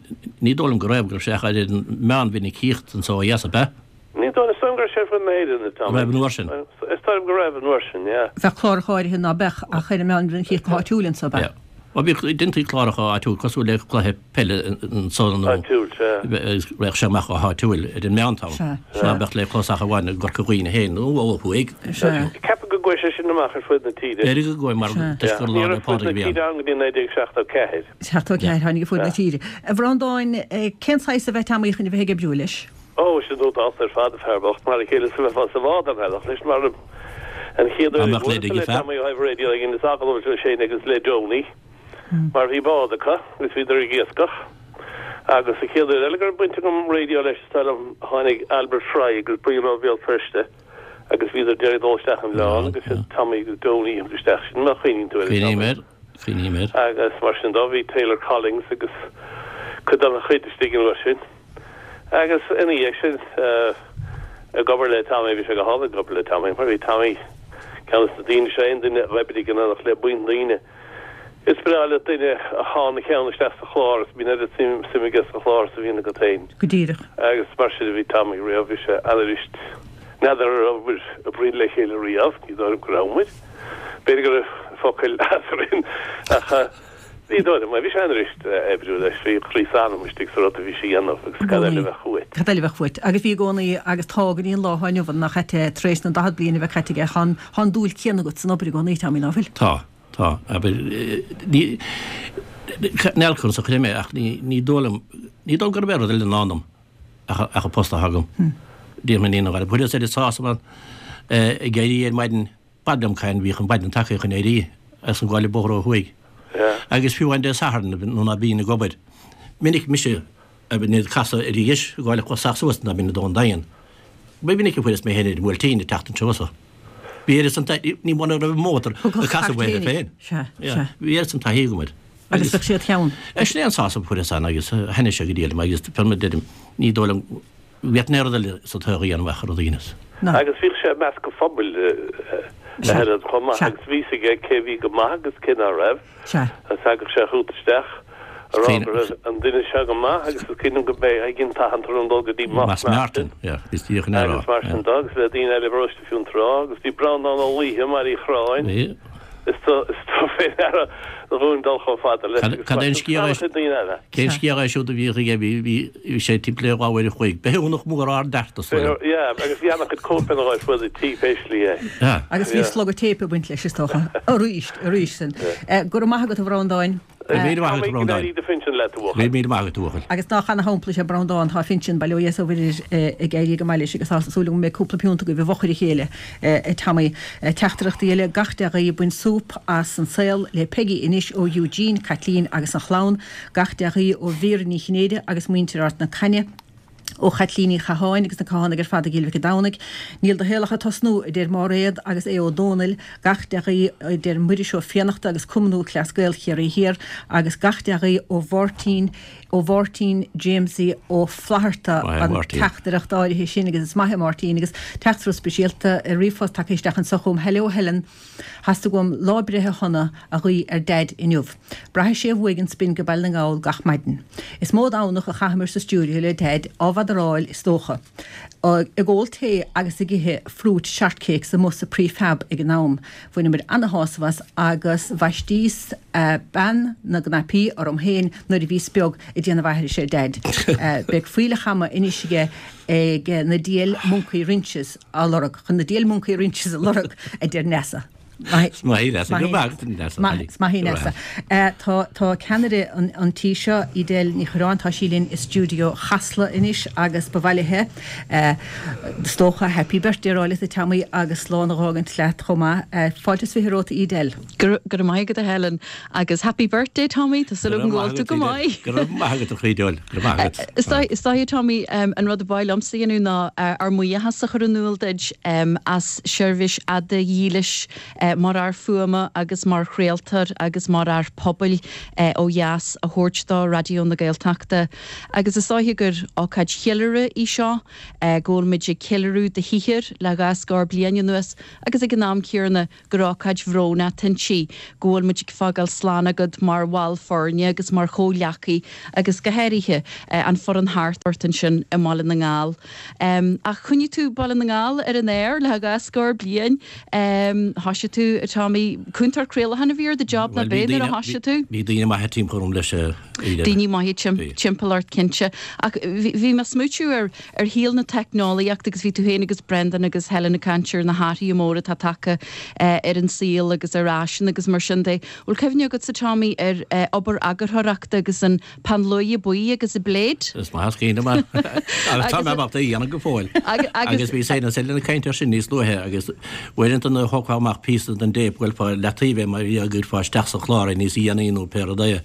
ní dóigh liom go raibh, go raibh sé ach ar an meánmhinicíocht anso ó dheas, ab ea? Ní dóigh, is dóigh liom go raibh sé ar fud na hÉireann, a Tommy. Raibh an uair sin? Is dóigh liom go raibh an uair sin, yeah. Bheadh cláracha áirithe ná beadh ach ar an meánmhinicíocht go háitiúil anso, ab ea? Yeah. Bhuel, bhíodh, deintí cláracha áitiúil cosúil le cluiche peile anso nó Áitiúil, sea. raghadh sé amach go háitiúil ar an meántán. Sea, Ná sea. beadh le clos ach amháin i gCorca Dhuibhne féin nó ó thuaidh. Sea. Ceapaim go gcuaigh sé sin amach ar fud na tíre. B'fhéidir go gcuaigh mar Sea. toisc gur Ní Lá 'le raibh fud Pádraig na a bhí ann. tíre ann go dtí naoi déag seachtó ceathair. Seachtó ceathair, tháinig ar fud na tíre. A Bhreandáin, cén saghas ab ea Tommy chun a bheith ag oibriú leis? Ó, sin dódálta ar fad, a fear bocht, mar a chéile is a bheifeá sa bhád ar bhealach leis, mar an chéad Dá uair a mbeadh leid bhuaileas ag le an fear. Tommy ó thaobh raidió ag Inis agallamh leis féin agus le Donie, mar bhí bád acu agus bhíodar ag iascach. Agus an chéad uair eile go raibh baint agam raidió leis, is dóigh liom, tháinig Albert Fry agus Brian ó Bhéal Feirste agus bhíodar d'iarraidh dul isteach an oileán agus siad Tommy agus Donie a thug isteach sin, má chuimhníonn tú air, Cuimhním Tommy. air, cuimhním air. Agus mar sin dó, bhí Taylor Collins agus cuid dá chuid istigh an uair sin. Agus ina dhiaidh sin, ag obair le Tommy, bhí sé go hálainn ag obair le Tommy, mar bhí Tommy ceann des na daoine seo, aon duine a oibrigh in éineacht le buíon daoine. Is breá le duine a shánn a cheann isteach sa chlár is bíonn oiread suim aige sa chlár is a bhíonn agat féin. Go díreach. Agus mar sin a bhí Tommy riamh, bhí sé an-fhuirist. N'fheadar an raibh muid ag obair le chéile riamh, ní dóigh liom go raibh muid. B'fhéidir go raibh focail eadrainn ach ní dóigh liom é. Bhí sé an-fhuirist oibriú leis, bhí croí is anam istigh sa rud a bhí sé a dhéanamh agus I cad eile gcónaí. a bheadh uait. Cad eile a bheadh uait. Agus bhí i gcónaí agus tá go dtí an lá atá inniu ann, nach ea, tar éis na daichead bliain a bheith caite aige, tá an, tá an dúil céanna agat san obair i gcónaí, Tommy, ná fuil? Tá, tá. Abair, ní, níl conas a chuir mé ach ní, ní dóigh liom, ní dóigh liom gurb é rud eile i ndán dom ach, ach an post atá agam. Déarfainn ní an Fuaireas oiread sásamh ann ag éirí ar maidin, b'fhada liom cain, bhíodh an mhaidin tagtha chun éirí as an gcáile bóthar ó thuaidh. Agus fiú amháin Dé Sathairn nuair ná bínn ag obair, minic mise a bhí ag casadh ar dheis ag gabháil a chosach suas ná bínn i dTóin Daingean. Ba mhinic a fuaireas mé féin ar an mBuailtín ag teacht anseo so. Bhí oiread san taithí, ní muna raibh an mótar ag casadh uaidh féin. Sea, sea. Bhí oiread san taithí agam air. Agus bheadh siad cheann. Sin é an sásamh a fuaireas ann agus thaitnigh sé go diail liom agus fé mar a deirim, ní dóigh liom go bhféadfainn aon rud eile sa tsaol a dhéanamh ach an rud a dheineas. Agus bhíodh sé ag measc an phobail a Helen chomh maith agus bhí fhios aige cé bhí go maith agus cé ná raibh. Agus thagadh sé chugat isteach a rá go raibh an duine seo go maith agus is cuimhin liom go mbeidh ag an tathant orm dul go dtí Mass Martin agus mar sin de agus le daoine eile i bparóiste Fionntrá agus bhí Breandán Ó Laoithe i mBaile Uí Chorráin. Is tú is tú fé ndeara dhúinn dul chomh fada leis agus Cad é an mar sin scéal é an-chuid daoine eile. Cén scéal é siúd a bhíodh aige bhí bhí bhí sé timpeall ar dhá uair a chloig. Bithiúnach mór ard ard is dóigh liom. Yeah, agus bhí an-chuid cóipeanna ar fud an tí pé slí é. Yeah. Agus bhí slogadh téip ag baint leis is dócha. Arís, arís sin. Go raibh maith agat a Bhreandáin. Go raibh míle maith agat a Go Bhreandáin. n-éirí do phinsean leat a Go raibh bhuachaill. míle maith agat a bhuachaill. Agus nach ana-shampla is ea Breandán, tá a phinsean, bail ó Dhia is ó Mhuire air, ag éirí go maith leis agus tá súil agam go mbeidh cúpla piúnt agaibh i bhfochair a chéile, a Tommy. Teachtaireachtaí eile, gach dea-ghuí, bain súp as an saol le Peggy anois ó Eugene, Caitlín agus an chlann, gach dea-ghuí ó Mhéara Ní Chinnéide agus muintir Ard na Caithne. Ó Chaitlín Uí Chatháin agus na Cathánaigh ar fad i gCill Mhic an Domhnaigh. Níl do shaol ach ag tosnú, a deir Máiréad agus Aodh Ó Dónaill, gach dea-ghuí, a deir Muiris Ó Fiannachta agus Cumann Lúthchleas Gael Chiarraí Thiar, agus gach dea-ghuí ó Mháirtín, ó Mháirtín Jamesie Ó Flatharta, Maith é an Máirtín. teachtaireacht áirithe sin agus is maith é Máirtín agus teachtaireacht speisialta ar ríomhphost tagtha isteach anseo chugam, Hello Helen, theastaigh uaim lá breithe shona a ghuí ar Daid inniu. Braithfidh sé uaidh an spin go Baile na nGall gach maidin. Is mó Domhnach a chaitheamar sa stiúideo le Daid á bhfadaráil is dócha. Ag ól tae agus ag ithe fruit shortcakes amuigh sa prefab ag an am. Bhaineamar ana-shásamh as agus bhaistíos bean na gcnaipí orm féin nuair a bhíos beag ag déanamh aithrise ar Daid. Beidh fuílleach ama anois aige ag na diabhail moncaí rinces a lorg, chun na diabhail moncaí rinces a lorg, a deir Neasa. Maith í Neasa. Go maith agat, Neasa. Is maith í Neasa. Tá tá ceannaire an an tí seo, Edel Ní Chuireáin, tá sí linn i stiúideo Chasla anois agus ba mhaith léi, is dócha, Happy Birthday a rá leat a Tommy agus slán a dh'fhágaint leat chomh maith. Fáilte is fiche romhat Edel. Go raibh maith agat a Helen agus Happy Birthday Tommy, tá súil agam go bhfuil tú go maith. Go raibh maith agat a chroí Edel, go raibh maith agat. Is dóigh Tommy an rud a ba mhaith liomsa a dhéanamh ná ár mbuíochas a chur in iúl duit as seirbhís fhada dhílis mar fhear fuaime agus mar chraoltóir agus mar fhear pobail ó dheas a thabhairt do Raidió na Gaeltachta. Agus is dóiche gur ócáid cheiliúradh í seo, go bhfuil muid ag ceiliúradh do shaothar le dhá scór bliain anuas agus ag an am céanna gur ócáid bhróin atá inti, go bhfuil muid ag fágáil slán agat mar bhall foirne agus mar chomhghleacaí agus go háirithe an foireann thart ort ansin i mBaile na nGall. Ach choinnigh tú Baile na nGall ar an aer le dhá scór bliain. Thoisigh tú, a Tommy, cúntóir craolacháin a bhí ar do job nach b'é nuair a thoisigh tú? Bhí daoine maithe timpeall orm leis a Daoine maithe timpeall ort cinnte. Ach bhí mé ag smaoitiú ar ar shaol na teicneolaíochta agus bhí tú féin agus Brendan agus Helen ag caint ar na hathruithe móra atá tagtha ar an saol agus ar fhaisean agus mar sin de. Bhfuil cuimhne agatsa Tommy ar obair eagarthóireachta agus an peann luaidhe buí agus an blade? Is maith is cuimhin liom agus tá mé ábalta é a dhéanamh go fóill. Agus bhí Helen ag caint air sin níos luaithe agus uaireanta nuair a thógfá amach píosa den dtéip ghoilfeá i leataobh é mar bhí go gcuirfeá isteach sa chlár é níos dhéanaí nó pé rud é.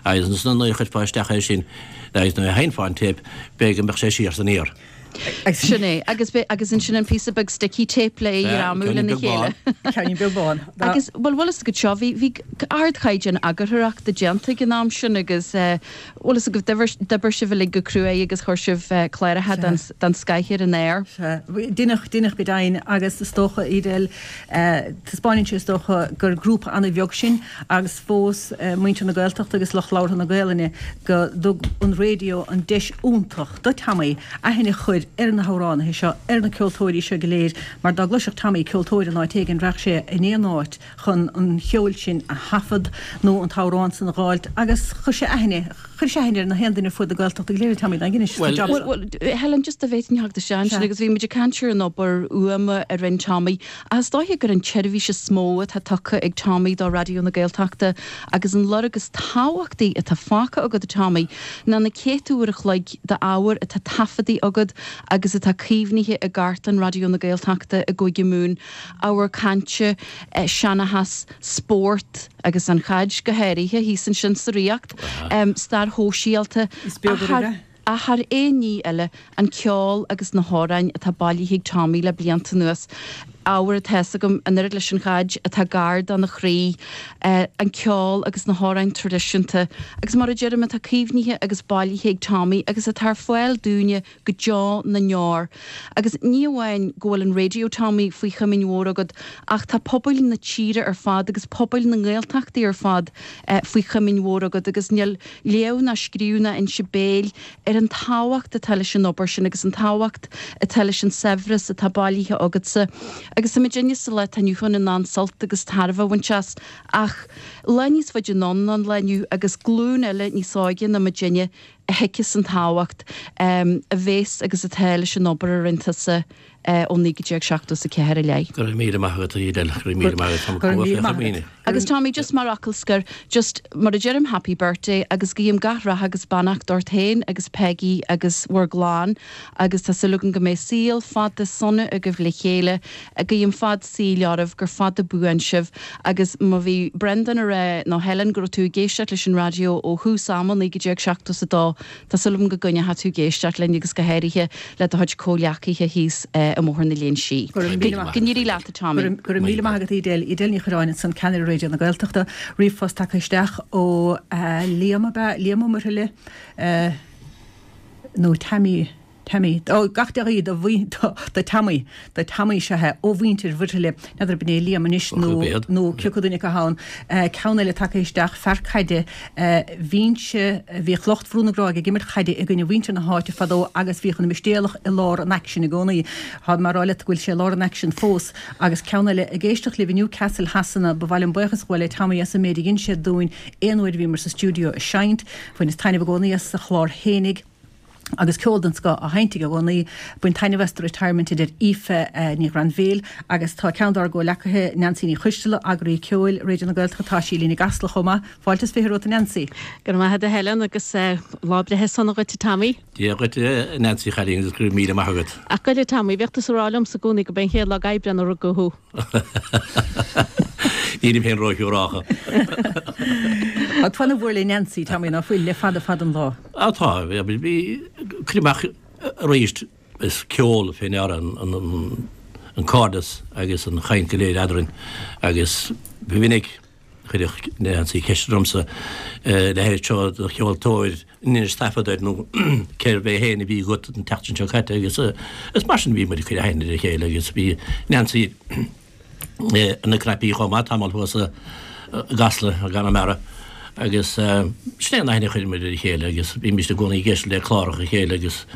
Agus ansan nuair a chuirfeá isteach é sin agus nuair a sheinnfeá an téip b'fhéidir go mbeadh sé siar san iar. Sin é. Agus agus ansin an píosa beag sticky tape le é a ghreamú lena chéile. Ceainnín beag bán. Agus bhuel bhfuil fhios agat seo, bhí bhí ardchaighdeán eagarthóireachta déanta ag an am sin agus bhfuil fhios agaibh d'oibir d'oibir sibh uilig go cruaidh agus chuir sibh cláracha den den scoith ar an aer. Sea. Deineadh, deineadh go deimhin agus is dócha, Edel, taispeánann sé is dócha gur grúpa an-bheag sinn agus fós muintir na Gaeltachta agus lucht labhartha na Gaelainne go dtug an raidió an deis iontach do Tommy aithne a chur ar na hamhránaithe seo, ar na ceoltóirí seo go léir, mar dá gcloisfeadh Tommy ceoltóir in áit éigin rachadh sé in aon áit chun an cheoil sin a thaifead nó an t-amhrán san a dh'fháilt agus chuir sé aithne, chuir sé aithne ar na haon duine ar fuaid na Gaeltachta go léir a Tommy, dá Well, well, Helen, just dá bhféadfainn theacht isteach ansin agus bhí muid ag caint ar an obair fhuaime a rinne Tommy ach is dóiche gur an tseirbhís is mó atá tugtha ag Tommy do Raidió na Gaeltachta agus an lorg is tábhachtaí atá fágtha agat a Tommy ná na céadta uair a chloig d'ábhar atá taifeadta agat agus atá caomhnaithe i gcartlann Raidió na Gaeltachta i gCúige Mumhan, ábhar cainte, seanchas, spórt agus an chaid go háirithe thíos ansin sa Ríocht, stair shóisialta, ach thar aon ní eile, an ceol agus na hamhráin atá bailithe ag Tommy le blianta anuas. Ábhar atá fhios agam, an oiread leis an chaid, atá gar dona chroí, an ceol agus na hamhráin traidisiúnta, agus mar a deirim, atá caomhnaithe agus bailithe ag Tommy agus atá ar fáil dúinne go deo na ndeor. Agus ní amháin go bhfuil an raidió, Tommy, faoi chomaoin mhór agat, ach tá pobail na tíre ar fad agus pobail na nGaeltachtaí ar fad faoi chomaoin mhór agat agus níl léamh ná scríobh ná inse béil ar an tábhacht atá leis an obair sin agus an tábhacht atá leis an saibhreas atá bailithe agatsa. Agus tá muidinne sa lá atá inniu ann in ann sult agus tairbhe a bhaint as ach lá níos faide anonn ná an lá inniu agus glúin eile níos óige ná muidinne a thuigfeas an tábhacht a bhéas agus atá leis an obair a rinne tusa ó naoi déag seachtó a ceathair i leith. Go raibh míle maith agat, a Edel, go raibh míle maith agat, tá mé chomh buíoch le daoine. Agus Tommy, just mar fhocal scoir, just mar a deirim happy birthday agus guím gach rath agus beannacht ort féin agus Peggy agus bhur gclann agus tá súil agam go mbeidh saol fada sona agaibh le chéile, guím fad saoil oraibh, gur fada buan sibh agus má bhí Brendan a rá nó Helen go raibh tú ag éisteacht leis an raidió ó thús ama naoi déag seachtó a dó, Tá súil agam go gcoinneoidh tú ag éisteacht linn agus go háirithe le do chuid comhghleacaithe thíos i mBóthar na Léinsí. Go raibh míle maith. Go n-éirí leat, a Tommy. Go raibh míle maith agat, Edel. Edel Ní Chuireáin ansan, Ceannaire Raidió na Gaeltachta. Ríomhphost tagtha isteach ó Liam, ab ea? Liam Ó Muirthile nó Tammy? Tammy. Ó, gach dea-ghuí do do Tammy, do Tammy is ea é, ó mhuintir Mhuirthile. N'fheadar ab in é Liam anois nó nó cé acu duine acu ann. Ceann eile tagtha isteach, fear caide, bhínnse, bhíodh lucht Bhrú na Gráige ag imirt chaide i gcoinne mhuintir na háite fadó agus bhíodh an Mistéalach i lár an aicsin i gcónaí. Tá mé a rá leat go bhfuil sé i lár an aicsin fós. Agus ceann eile, ag éisteacht libh i Newcastle Shasana, ba mhaith liom buíochas a ghabháil le Tommy as an méid a dhein sé dúinn aon uair a bhíomar sa stiúideo ag seinnt. Bhaineas taitneamh i gcónaí as a chlár fhéinig. Agus ceol den scoth á sheinnt aige i gcónaí. Bain taitneamh as do retirement a deir Aoife Ní Ghrainbhéil. Agus tá ceann dár gcomhleacaithe, Neansaí Ní Choisteala, eagraí ceoil Raidió na Gaeltachta, tá sí linn i gCasla chomh maith. Fáilte is fiche romhat a Neansaí. Go raibh maith agat a Helen agus lá breithe sona dhuit a Tommy. Dia dhuit a Neansaí chailín agus go raibh míle maith agat. Ach gabh i leith a Tommy, bhíodh tusa ag rá liomsa i gcónaí go b'é an chéad lá d'Aibreán a rugadh thú. Nílim féin róshiúrálta. Tá tú ana mhór le Neansaí, Tommy, ná fuil, le fada fada an lá. Á tá, bhí, cuir amach arís, is ceol fé ndeara an an cairdeas agus an chaint go léir eadrainn agus ba mhinic chuireadh Neansaí ceist ormsa leithéid seo de cheoltóir an inis taifead air nó cérbh é féin a bhí agat an tseachtain seo caite agus is mar sin a bhí muid ag cur aithne ar a chéile agus bhí Neansaí ina cnaipí chomh maith tamall thuas i gCasla i gConamara agus sin é an aithne a chuir muid ar a chéile agus bhímis i gcónaí ag éisteacht le cláracha a chéile agus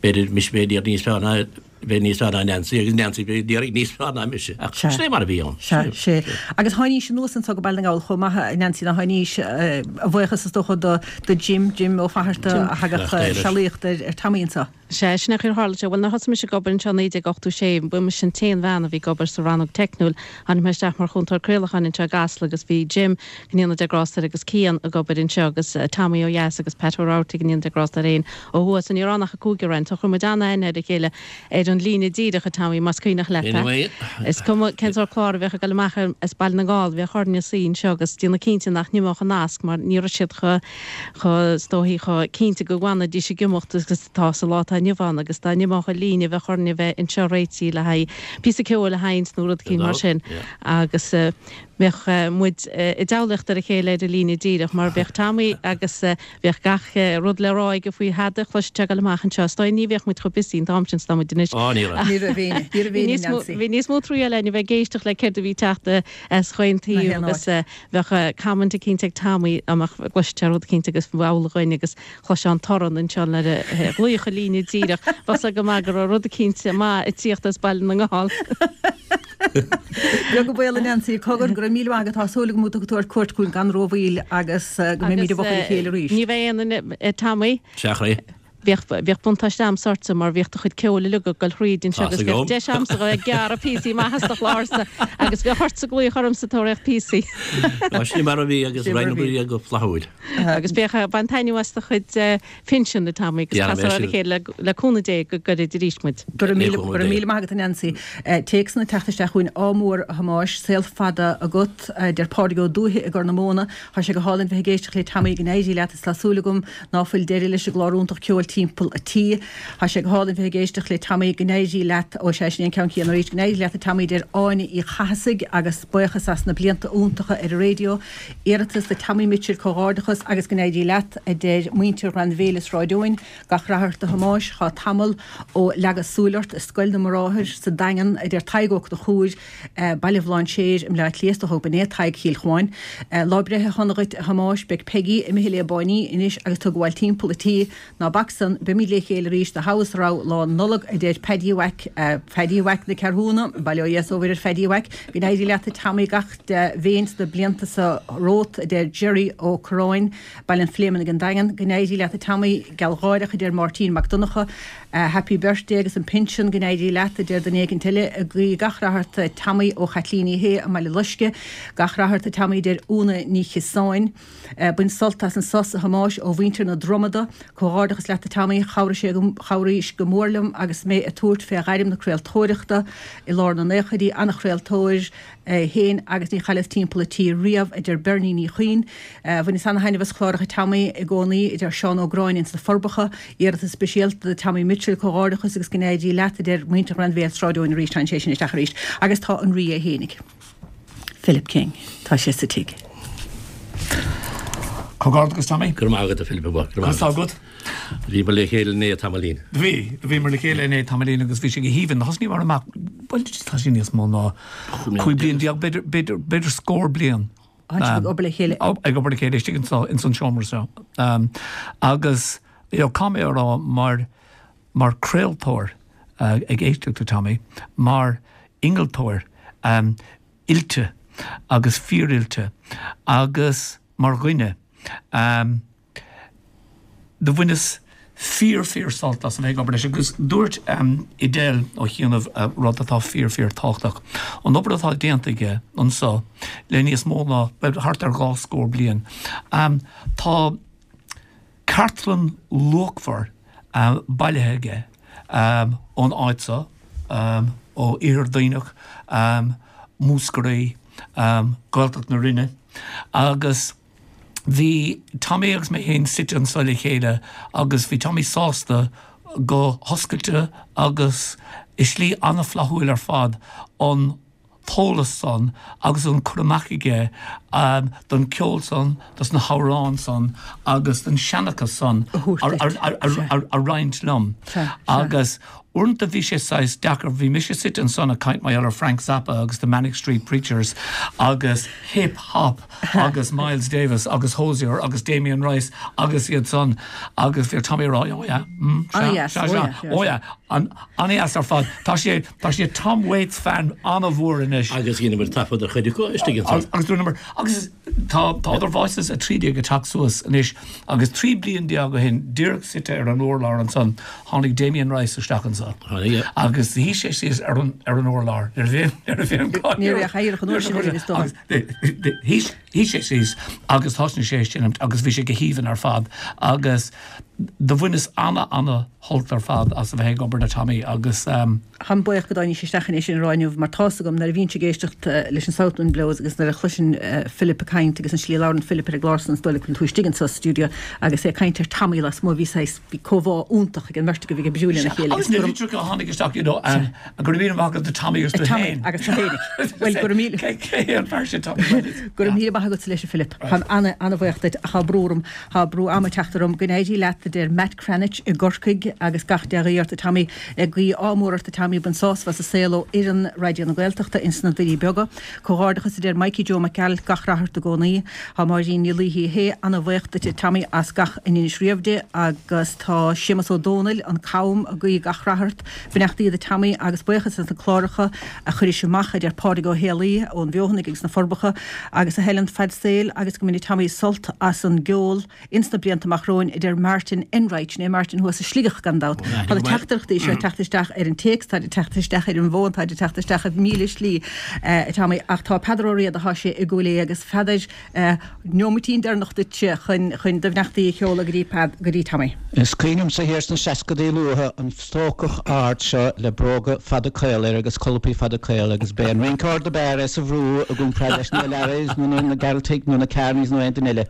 b'fhéidir mise b'fhéidir níos fearr ná bheith níos fearr ná Neansaí agus Neansaí b'fhéidir níos fearr ná mise ach sin é mar a bhí ann. Sea, sea. Agus tháinís anuas anso go Baile na nGall chomh maith, a Neansaí, ná tháinís, a bhuíochas is dócha do do Jim, Jim Ó Fatharta a thagadh sealaíocht ar ar Tommy anso. Sea, sin é an chaoi ar tharla sé. Bhuel, nuair a thosaigh mise ag obair anseo i naoi déag ochtó sé, ba mise an t-aon bhean a bhí ag obair sa rannóg teicniúil. Tháinig mé isteach mar chúntóir craolacháin anseo i gCasla agus bhí Jim, go ndéana Dia grásta air, agus Cian ag obair anseo agus Tommy ó dheas agus Pat Ó Rabhartaigh, go ndéana Dia grásta air féin, ó thuaidh. So ní raibh ann ach an cúigear againn. So chuir muid an-aithne ar a chéile ar an líne díreach, a Tommy, más cuimhneach leat é. Is cuma cén sórt clár a bheadh ag dul amach as Baile na nGall, bheadh orainne suí anseo agus déanamh cinnte nach n-imeodh an nasc mar ní raibh siad chomh, chomh, is dóichí, chomh cinnte go bhfanfaidís ag imeacht agus atá sa lá atá inniu ann agus dá n-imeodh an líne bheadh orainne bheith anseo réitithe le haghaidh píosa ceoil a sheinnt nó rud eicínt mar sin agus bheadh muid i dteaghlaíocht ar a chéile ar an líne díreach mar bheadh Tommy agus bheadh gach rud le rá aige faoi thada a chloisfeadh sé ag dul amach anseo. Is dóigh ní bheadh muid chomh busy an t-am sin is atá muid anois. Á, ní raibh. Ní raibh éinne. Ní raibh éinne, Nancy. Bhí níos mó triail againn a bheith ag éisteacht le céard a bhí ag teacht as chaon taobh agus bheadh comment eicínt ag Tommy dá mbeadh gcloisfeadh sé rud eicínt agus b'amhlaidh dhuinn agus chloisfeá an torann anseo nuair a ghlaoigh an líne díreach. Bheadh a fhios go maith go raibh rud eicínt maith ag tíocht as Baile na nGall. Beag an baol a Neansaí, cogar, go raibh míle maith agat, tá súil agam go dtiocfaidh tú ar cuairt chugainn gan rómhoill agus go mbeimid i bhfochair a chéile arís. Ní bheidh aon duine, a Tommy. Sea, a chroí. Bhíodh, bhíodh buntáiste a'msa ortsa mar bhíodh do chuid ceoil uilig ag goil thríd anseo Tá agus 's bhíodh agam. deis a'msa a bheith ag gearradh píosaí maithe as do chlársa agus bheadh ortsa glaoch ormsa tabhair píosaí. Tá sin mar a bhí agus Sin mar a roinn bhí. oibre go flaithiúil. Agus bheadh, bain taitneamh as do chuid pinsean, a Tommy, agus Déanfaidh mé casfar ar a sin. chéile le, le cúnamh Dé go gairid arís muid. Go raibh Le míle, cúnamh go raibh Dé. míle maith agat a Neansaí. Téacsanna ag teacht isteach chugainn, ádh mór a Thomáis, saol fada agat, a deir Pádraig Ó Dúiche i gCorr na Móna. Tá sé go hálainn bheith ag éisteacht le Tommy, go n-éirí leat is tá súil agam ná fuil deireadh leis an gclár iontach ceoil timpeall a tí. Tá sé go hálainn bheith ag éisteacht le Tommy, go n-éirí leat, ó sea, sin é an ceann céanna arís, go n-éirí leat a Tommy, deir Áine Uí Chathasaigh agus buíochas as na blianta iontacha ar an raidió. Iarratas do Tommy Mitchell, comhghairdeachas agus go n-éirí leat, a deir muintir Ghleann Bhéil i Sráid Eoin. Gach rath ort a Thomáis, tá tamall ó leagadh súil ort i Scoil na mBráthar sa Daingean, a deir Tadhg Ó Conchúir, Baile Bhlainséir i mBleá Cliath, is dócha gurb in é Tadhg Chill Chuáin. Lá breithe shona dhuit a Thomáis, beidh Peigí imithe le báiní anois agus tú ag gabháil timpeall a tí. Ná bac san, beimid le chéile arís do thogha is do rogha Lá Nollag, a deir Paddy Mhac, Paddy Mhac na Ceathrúna, bail ó Dhia is ó Mhuire ar Phaddy Mhac. Go n-éirí leat a Tommy gach dea-mhéin sna blianta so romhat, a deir Gerry Ó Curráin, Baile an Phléimeannaigh an Daingean. Go n-éirí leat a Tommy, gealgháireach, a deir Máirtín Mac Donncha. Happy birthday agus an pinsean, go n-éirí leat, a deir duine éicint eile. Ag guí gach rath ort a Tommy ó Chaitlín Uí Shé i mBaile Loisce. Gach rath ort a Tommy, a deir Úna Ní Chiosáin. Bain sult as an sos a Thomáis ó mhuintir na Dromada. Comhghairdeachas leat a Tommy, chabhraigh sé chabhraís go mór liom agus mé ag tabhairt fé ghairm na craoltóireachta i lár na naochaidí, an-chraoltóir féin agus ní chailleas timpeall a tí riamh, a deir Bernie Ní Chuinn. Bhaineas ana-thaitneamh as chláracha Tommy i gcónaí, a deir Seán Ó Gráinne ins na Forbacha. Iarratas speisialta do Tommy Mitchell, comhghairdeachas agus go n-éirí leat, a deir muintir Ghleann Bhéal Sráid Eoin arís, tá sé sin isteach arís. Agus tá an Rí é fhéinig. Philip King. Tá sé sa tigh. Comhghairdeachas Tommy. Go raibh maith agat a Philip, go raibh maith agat. agat. Bhíomar le chéile inné tamaillín. Bhí, bhíomar le chéile inné tamaillín agus bhí sé go haoibhinn. Thosnaíomar amach, bhuel tá sé níos mó ná cúig bliain déag, b'fhéidir, b'fhéidir, b'fhéidir scór bliain. Tá sibh ag obair le chéile. Ag obair le chéile istigh insa, ins an seomra seo. Agus, you know, caithfidh mé a rá mar, mar craoltóir ag éisteacht le Tommy, mar innealtóir oilte agus fíoroilte agus mar dhuine, do bhaineas fíor fíor sult as a bheith ag obair leis agus dúirt Edel ó chianaibh rud atá fíor fíor tábhachtach, an obair atá déanta aige anseo le níos mó ná, bhuel, thart ar dhá scór bliain, tá cartlann luachmhar bailithe aige ón áit seo, ó Iarthar Duibhneach, Múscraí, Gaeltacht na Rinne agus bhí Tommy agus mé féin suite anseo le chéile agus bhí Tommy sásta go hoscailte agus i slí an-fhlaithiúil ar fad an t-eolas san agus an cur amach aige um, don ceol san, dos na hamhráin san agus don seanchas san a roinnt liom. Agus uaireanta bhí sé saghas deacair, bhí mise suite ansan ag caint mar gheall ar Frank Zappa agus the Manic Street Preachers agus hip hop agus Miles Davis agus Hozier agus Damien Rice agus iad san agus bhí Tommy rá oh yeah, mm, sea, sea, sea, oh yeah, an-dheas ar fad. Tá sé tá sé Tom Waits fan an-mhór anois. Agus dheineamar taifead ar chuid acu istigh ansan. Agus dúramar agus tá tá Other Voices a trí déag ag teacht suas anois agus trí bliain déag ó shin díreach suite ar an urlár ansan tháinig Damien Rice isteach anso agus shuigh sé síos ar an ar an urlár nuair a bhí nuair a bhí an Ní raibh cathaoir an uair sin againn is dócha. Shuigh shuigh sé síos agus thosnaigh sé ag seinmt agus bhí sé go haoibhinn ar fad agus do bhaineas ana ana shult ar fad as a bheith ag obair le Tommy agus. Táim buíoch go dtáinig isteach chun é sin a rá inniu mar tá's agam nuair a bhíonn ag éisteacht leis an South Wind Blows agus nuair a chloiseann Philip ag caint agus an slí a labhrann Philip ar an gclár san is dóigh liom go bhfuil tú istigh anso sa stiúideo agus é ag caint ar Tommy lasmuigh bhí saghas bhí comhbhá iontach ag an mbeirt acu a bhí ag oibriú lena chéile agus na litreacha a tháinig isteach you know um, go raibh míle maith agat do Tommy agus tú féin. Agus tú féin. Bhuel go raibh míle Cé hé an fear sin Tommy Reynolds? Go raibh míle maith agatsa leis a Philip. Táim ana ana-bhuíoch duit ach tá brú orm tá brú ama ag teacht orm go n-éirí leat a deir Matt Cranitch i gCorcaigh agus gach dea-ghuí ort a Tommy ag guí ádh mór ort a Tommy bain sásamh as an saol ó fhoireann Raidió na Gaeltachta ins na Doirí Beaga. Comhghairdeachas a deir Mikey Joe Mac Gearailt gach rath ort i gcónaí. Tá Máirín Ní Laoithe hé ana-bhuíoch duit a Tommy as gach a ndeinis riamh di agus tá Séamus Ó Dónaill an Cam ag guí gach rath ort. Beannachtaí do Tommy agus buíochas as na cláracha a chuiris amach a deir Pádraig Ó Héalaí ón Bhfeothanaigh agus na Forbacha agus a Helen fad saoil agus go mbaine Tommy sult as an gceol ins na blianta amach romhainn a deir Martin Enright, sin é Martin thuas i Sligeach gan dabht. Tá na teachtaireachtaí seo ag teacht isteach ar an téacs, táid ag teacht isteach ar an bhfón, táid ag teacht isteach i míle slí, a Tommy, ach tá Peadar Ó Riada, tá sé i gCúil Aodha agus Pheadair, neomaitín deireanach duitse chun chun do bheannachtaí a sheoladh go dtí Pead, go dtí Tommy. Is cuimhin liomsa thiar sna seascadaí luatha an stócach ard seo le bróga fada caola air agus colapaí fada caola agus b'é an rinceoir do b'fhearr é sa bhrú i gcomparáid leis na O'Learys nó na Gearaltaigh nó na Kearneys nó aon duine eile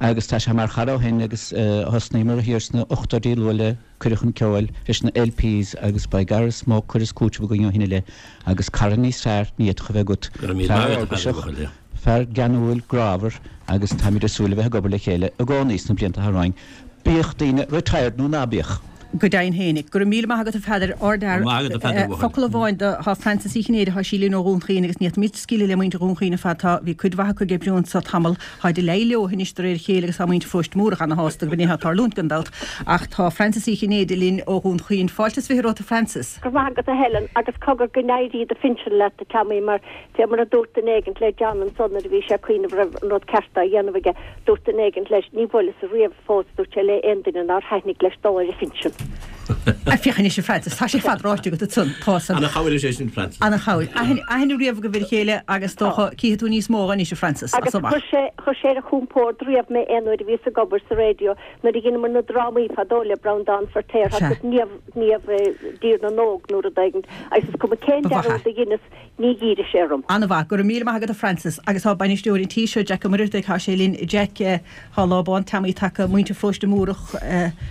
agus tá sé mar chara ó shin agus thosnaíomar thiar sna ochtóidí luath le Cuireadh Chun Ceoil leis na LPs agus by gar is mó cur is cúiteamh againn ó shin i leith agus cara níos fearr ní fhéadfadh a bheith agat. Go raibh míle Fear maith agat, a Pheadair eolgaiseach, bhuachaill. fear geanúil, grámhar agus táimid ag súil le bheith ag obair le chéile i gcónaí sna blianta atá romhainn, bíodh daoine retired nó ná bíodh. Go deimhin fhéinig. Go raibh míle maith agat a Pheadair, ardfhear. Go raibh maith agat a Pheadair bhuachaill. Focal amháin do, tá Frances Uí Chinnéide, tá sí linn ó Dhún Chaoin agus ní fhéadfaimid scaoileadh le muintir Dhún Chaoin ar fad, tá, bhí cuid mhaith acu ag oibriú anso tamall, táid ag leí leo anois de réir a chéile agus tá muintir Pharóiste Múrach ana-shásta go bhfuil nithe ag tarlúint gan dabht ach tá Frances Uí Chinnéide linn ó Dhún Chaoin. Fáilte is fiche romhat a Frances. Go raibh maith agat a Helen agus cogar go n-éirí do phinsean leat a Tommy mar fé mar a dúirt duine éigint le John ansan nuair a bhí sé ag cuimhneamh raibh an rud ceart á dhéanamh aige dúirt duine éigint leis ní bhuaileas-sa riamh fós dúirt sé le aon duine nár thaitnigh leis dul ar a phinsean. Féach anois a Frances, tá sé fad ráite agat ansan, tá san. Ana-chabhair is é sin Frances. Ana-chabhair. Aithne, aithne riamh agaibh ar a chéile agus dócha cífidh tú níos mó anois a Frances, as Agus amach. chuir sé, chuir sé ar a chompord riamh mé aon uair a bhíos ag obair sa raidió nuair a dheineamar na drámaí fadó le Breandán Feirtéar Sea. agus Niamh, Niamh i dTír na nÓg nó rud éigint agus is cuma cén Ba mhaith dearúd é. a dheineas ní dh'éireadh sé orm. Ana-mhaith. Go raibh míle maith agat a Frances. Agus tá bainisteoir an tí seo, Jack Ó Muircheartaigh, tá sé linn. Jack, tá lá bán Tommy tagtha, muintir Pharóiste Múrach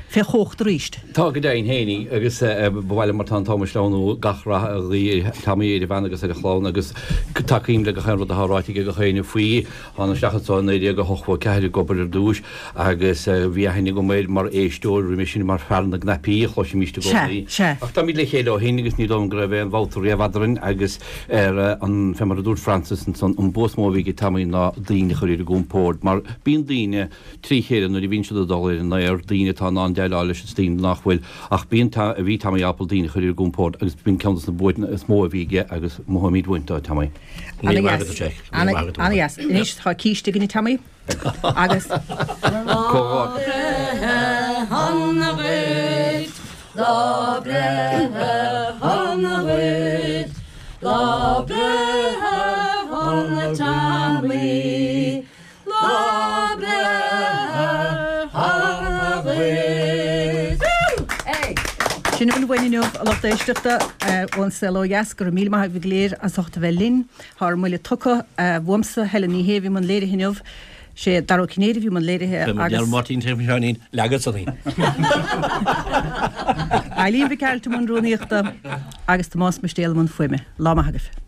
fé chumhacht arís. Tá go deimhin fhéinig agus ba mhaith liom mar tá an t-am ag sleamhnú gach rath a ghuí ar Tommy, ar a bhean agus ar a chlann agus tacaím le gach aon rud atá ráite ag gach éinne faoi. Thána isteach anso i naoi déag a hochtó a ceathair ag obair ar dtúis agus bhí aithne agam air mar éisteoir roimhe sin mar fear na gcnaipí a chloisimíst i Sea, gcónaí. sea. Ach táimid le chéile ó shin agus ní dóigh liom go raibh aon bhabhta riamh eadrainn agus ar an, fé mar a dúirt Frances ansan, an bua is mó a bhí ag Tommy ná daoine a chur ar a gcompord mar bíonn daoine trí chéile nuair a bhíonn siad ag dul ar an aer, daoine atá in ann déileáil leis is daoine nach bhfuil ach bíonn, bhí Tommy ábalta daoine a chur ar a gcompord agus b'in ceann de na buanna is mó a bhí aige agus mothaímid uainn dó, Tommy. Ana-dheas. Ana-dheas. Anois tá císte againn a Tommy agus. Lá breithe shona dhuit, lá breithe shona dhuit, lá breithe shona Tommy, lá breithe shona dhuit. Sin a bhfuil uainn inniu, a lucht éisteachta, ón Saol Ó Dheas. Go raibh míle maith agaibh go léir as ucht a bheith linn. Tá ár mbuille tugtha uaimse, Helen Ní Shé, a bhí i mbun léirithe inniu. Sé Dara Ó Cinnéide a bhí i mbun léirithe agus. Máirtín T. Sheáinín, leagadh san í. Eileen Mhic Gearailt i mbun rúnaíochta agus Tomás Mistéal i mbun fuaime. Lá maith agaibh.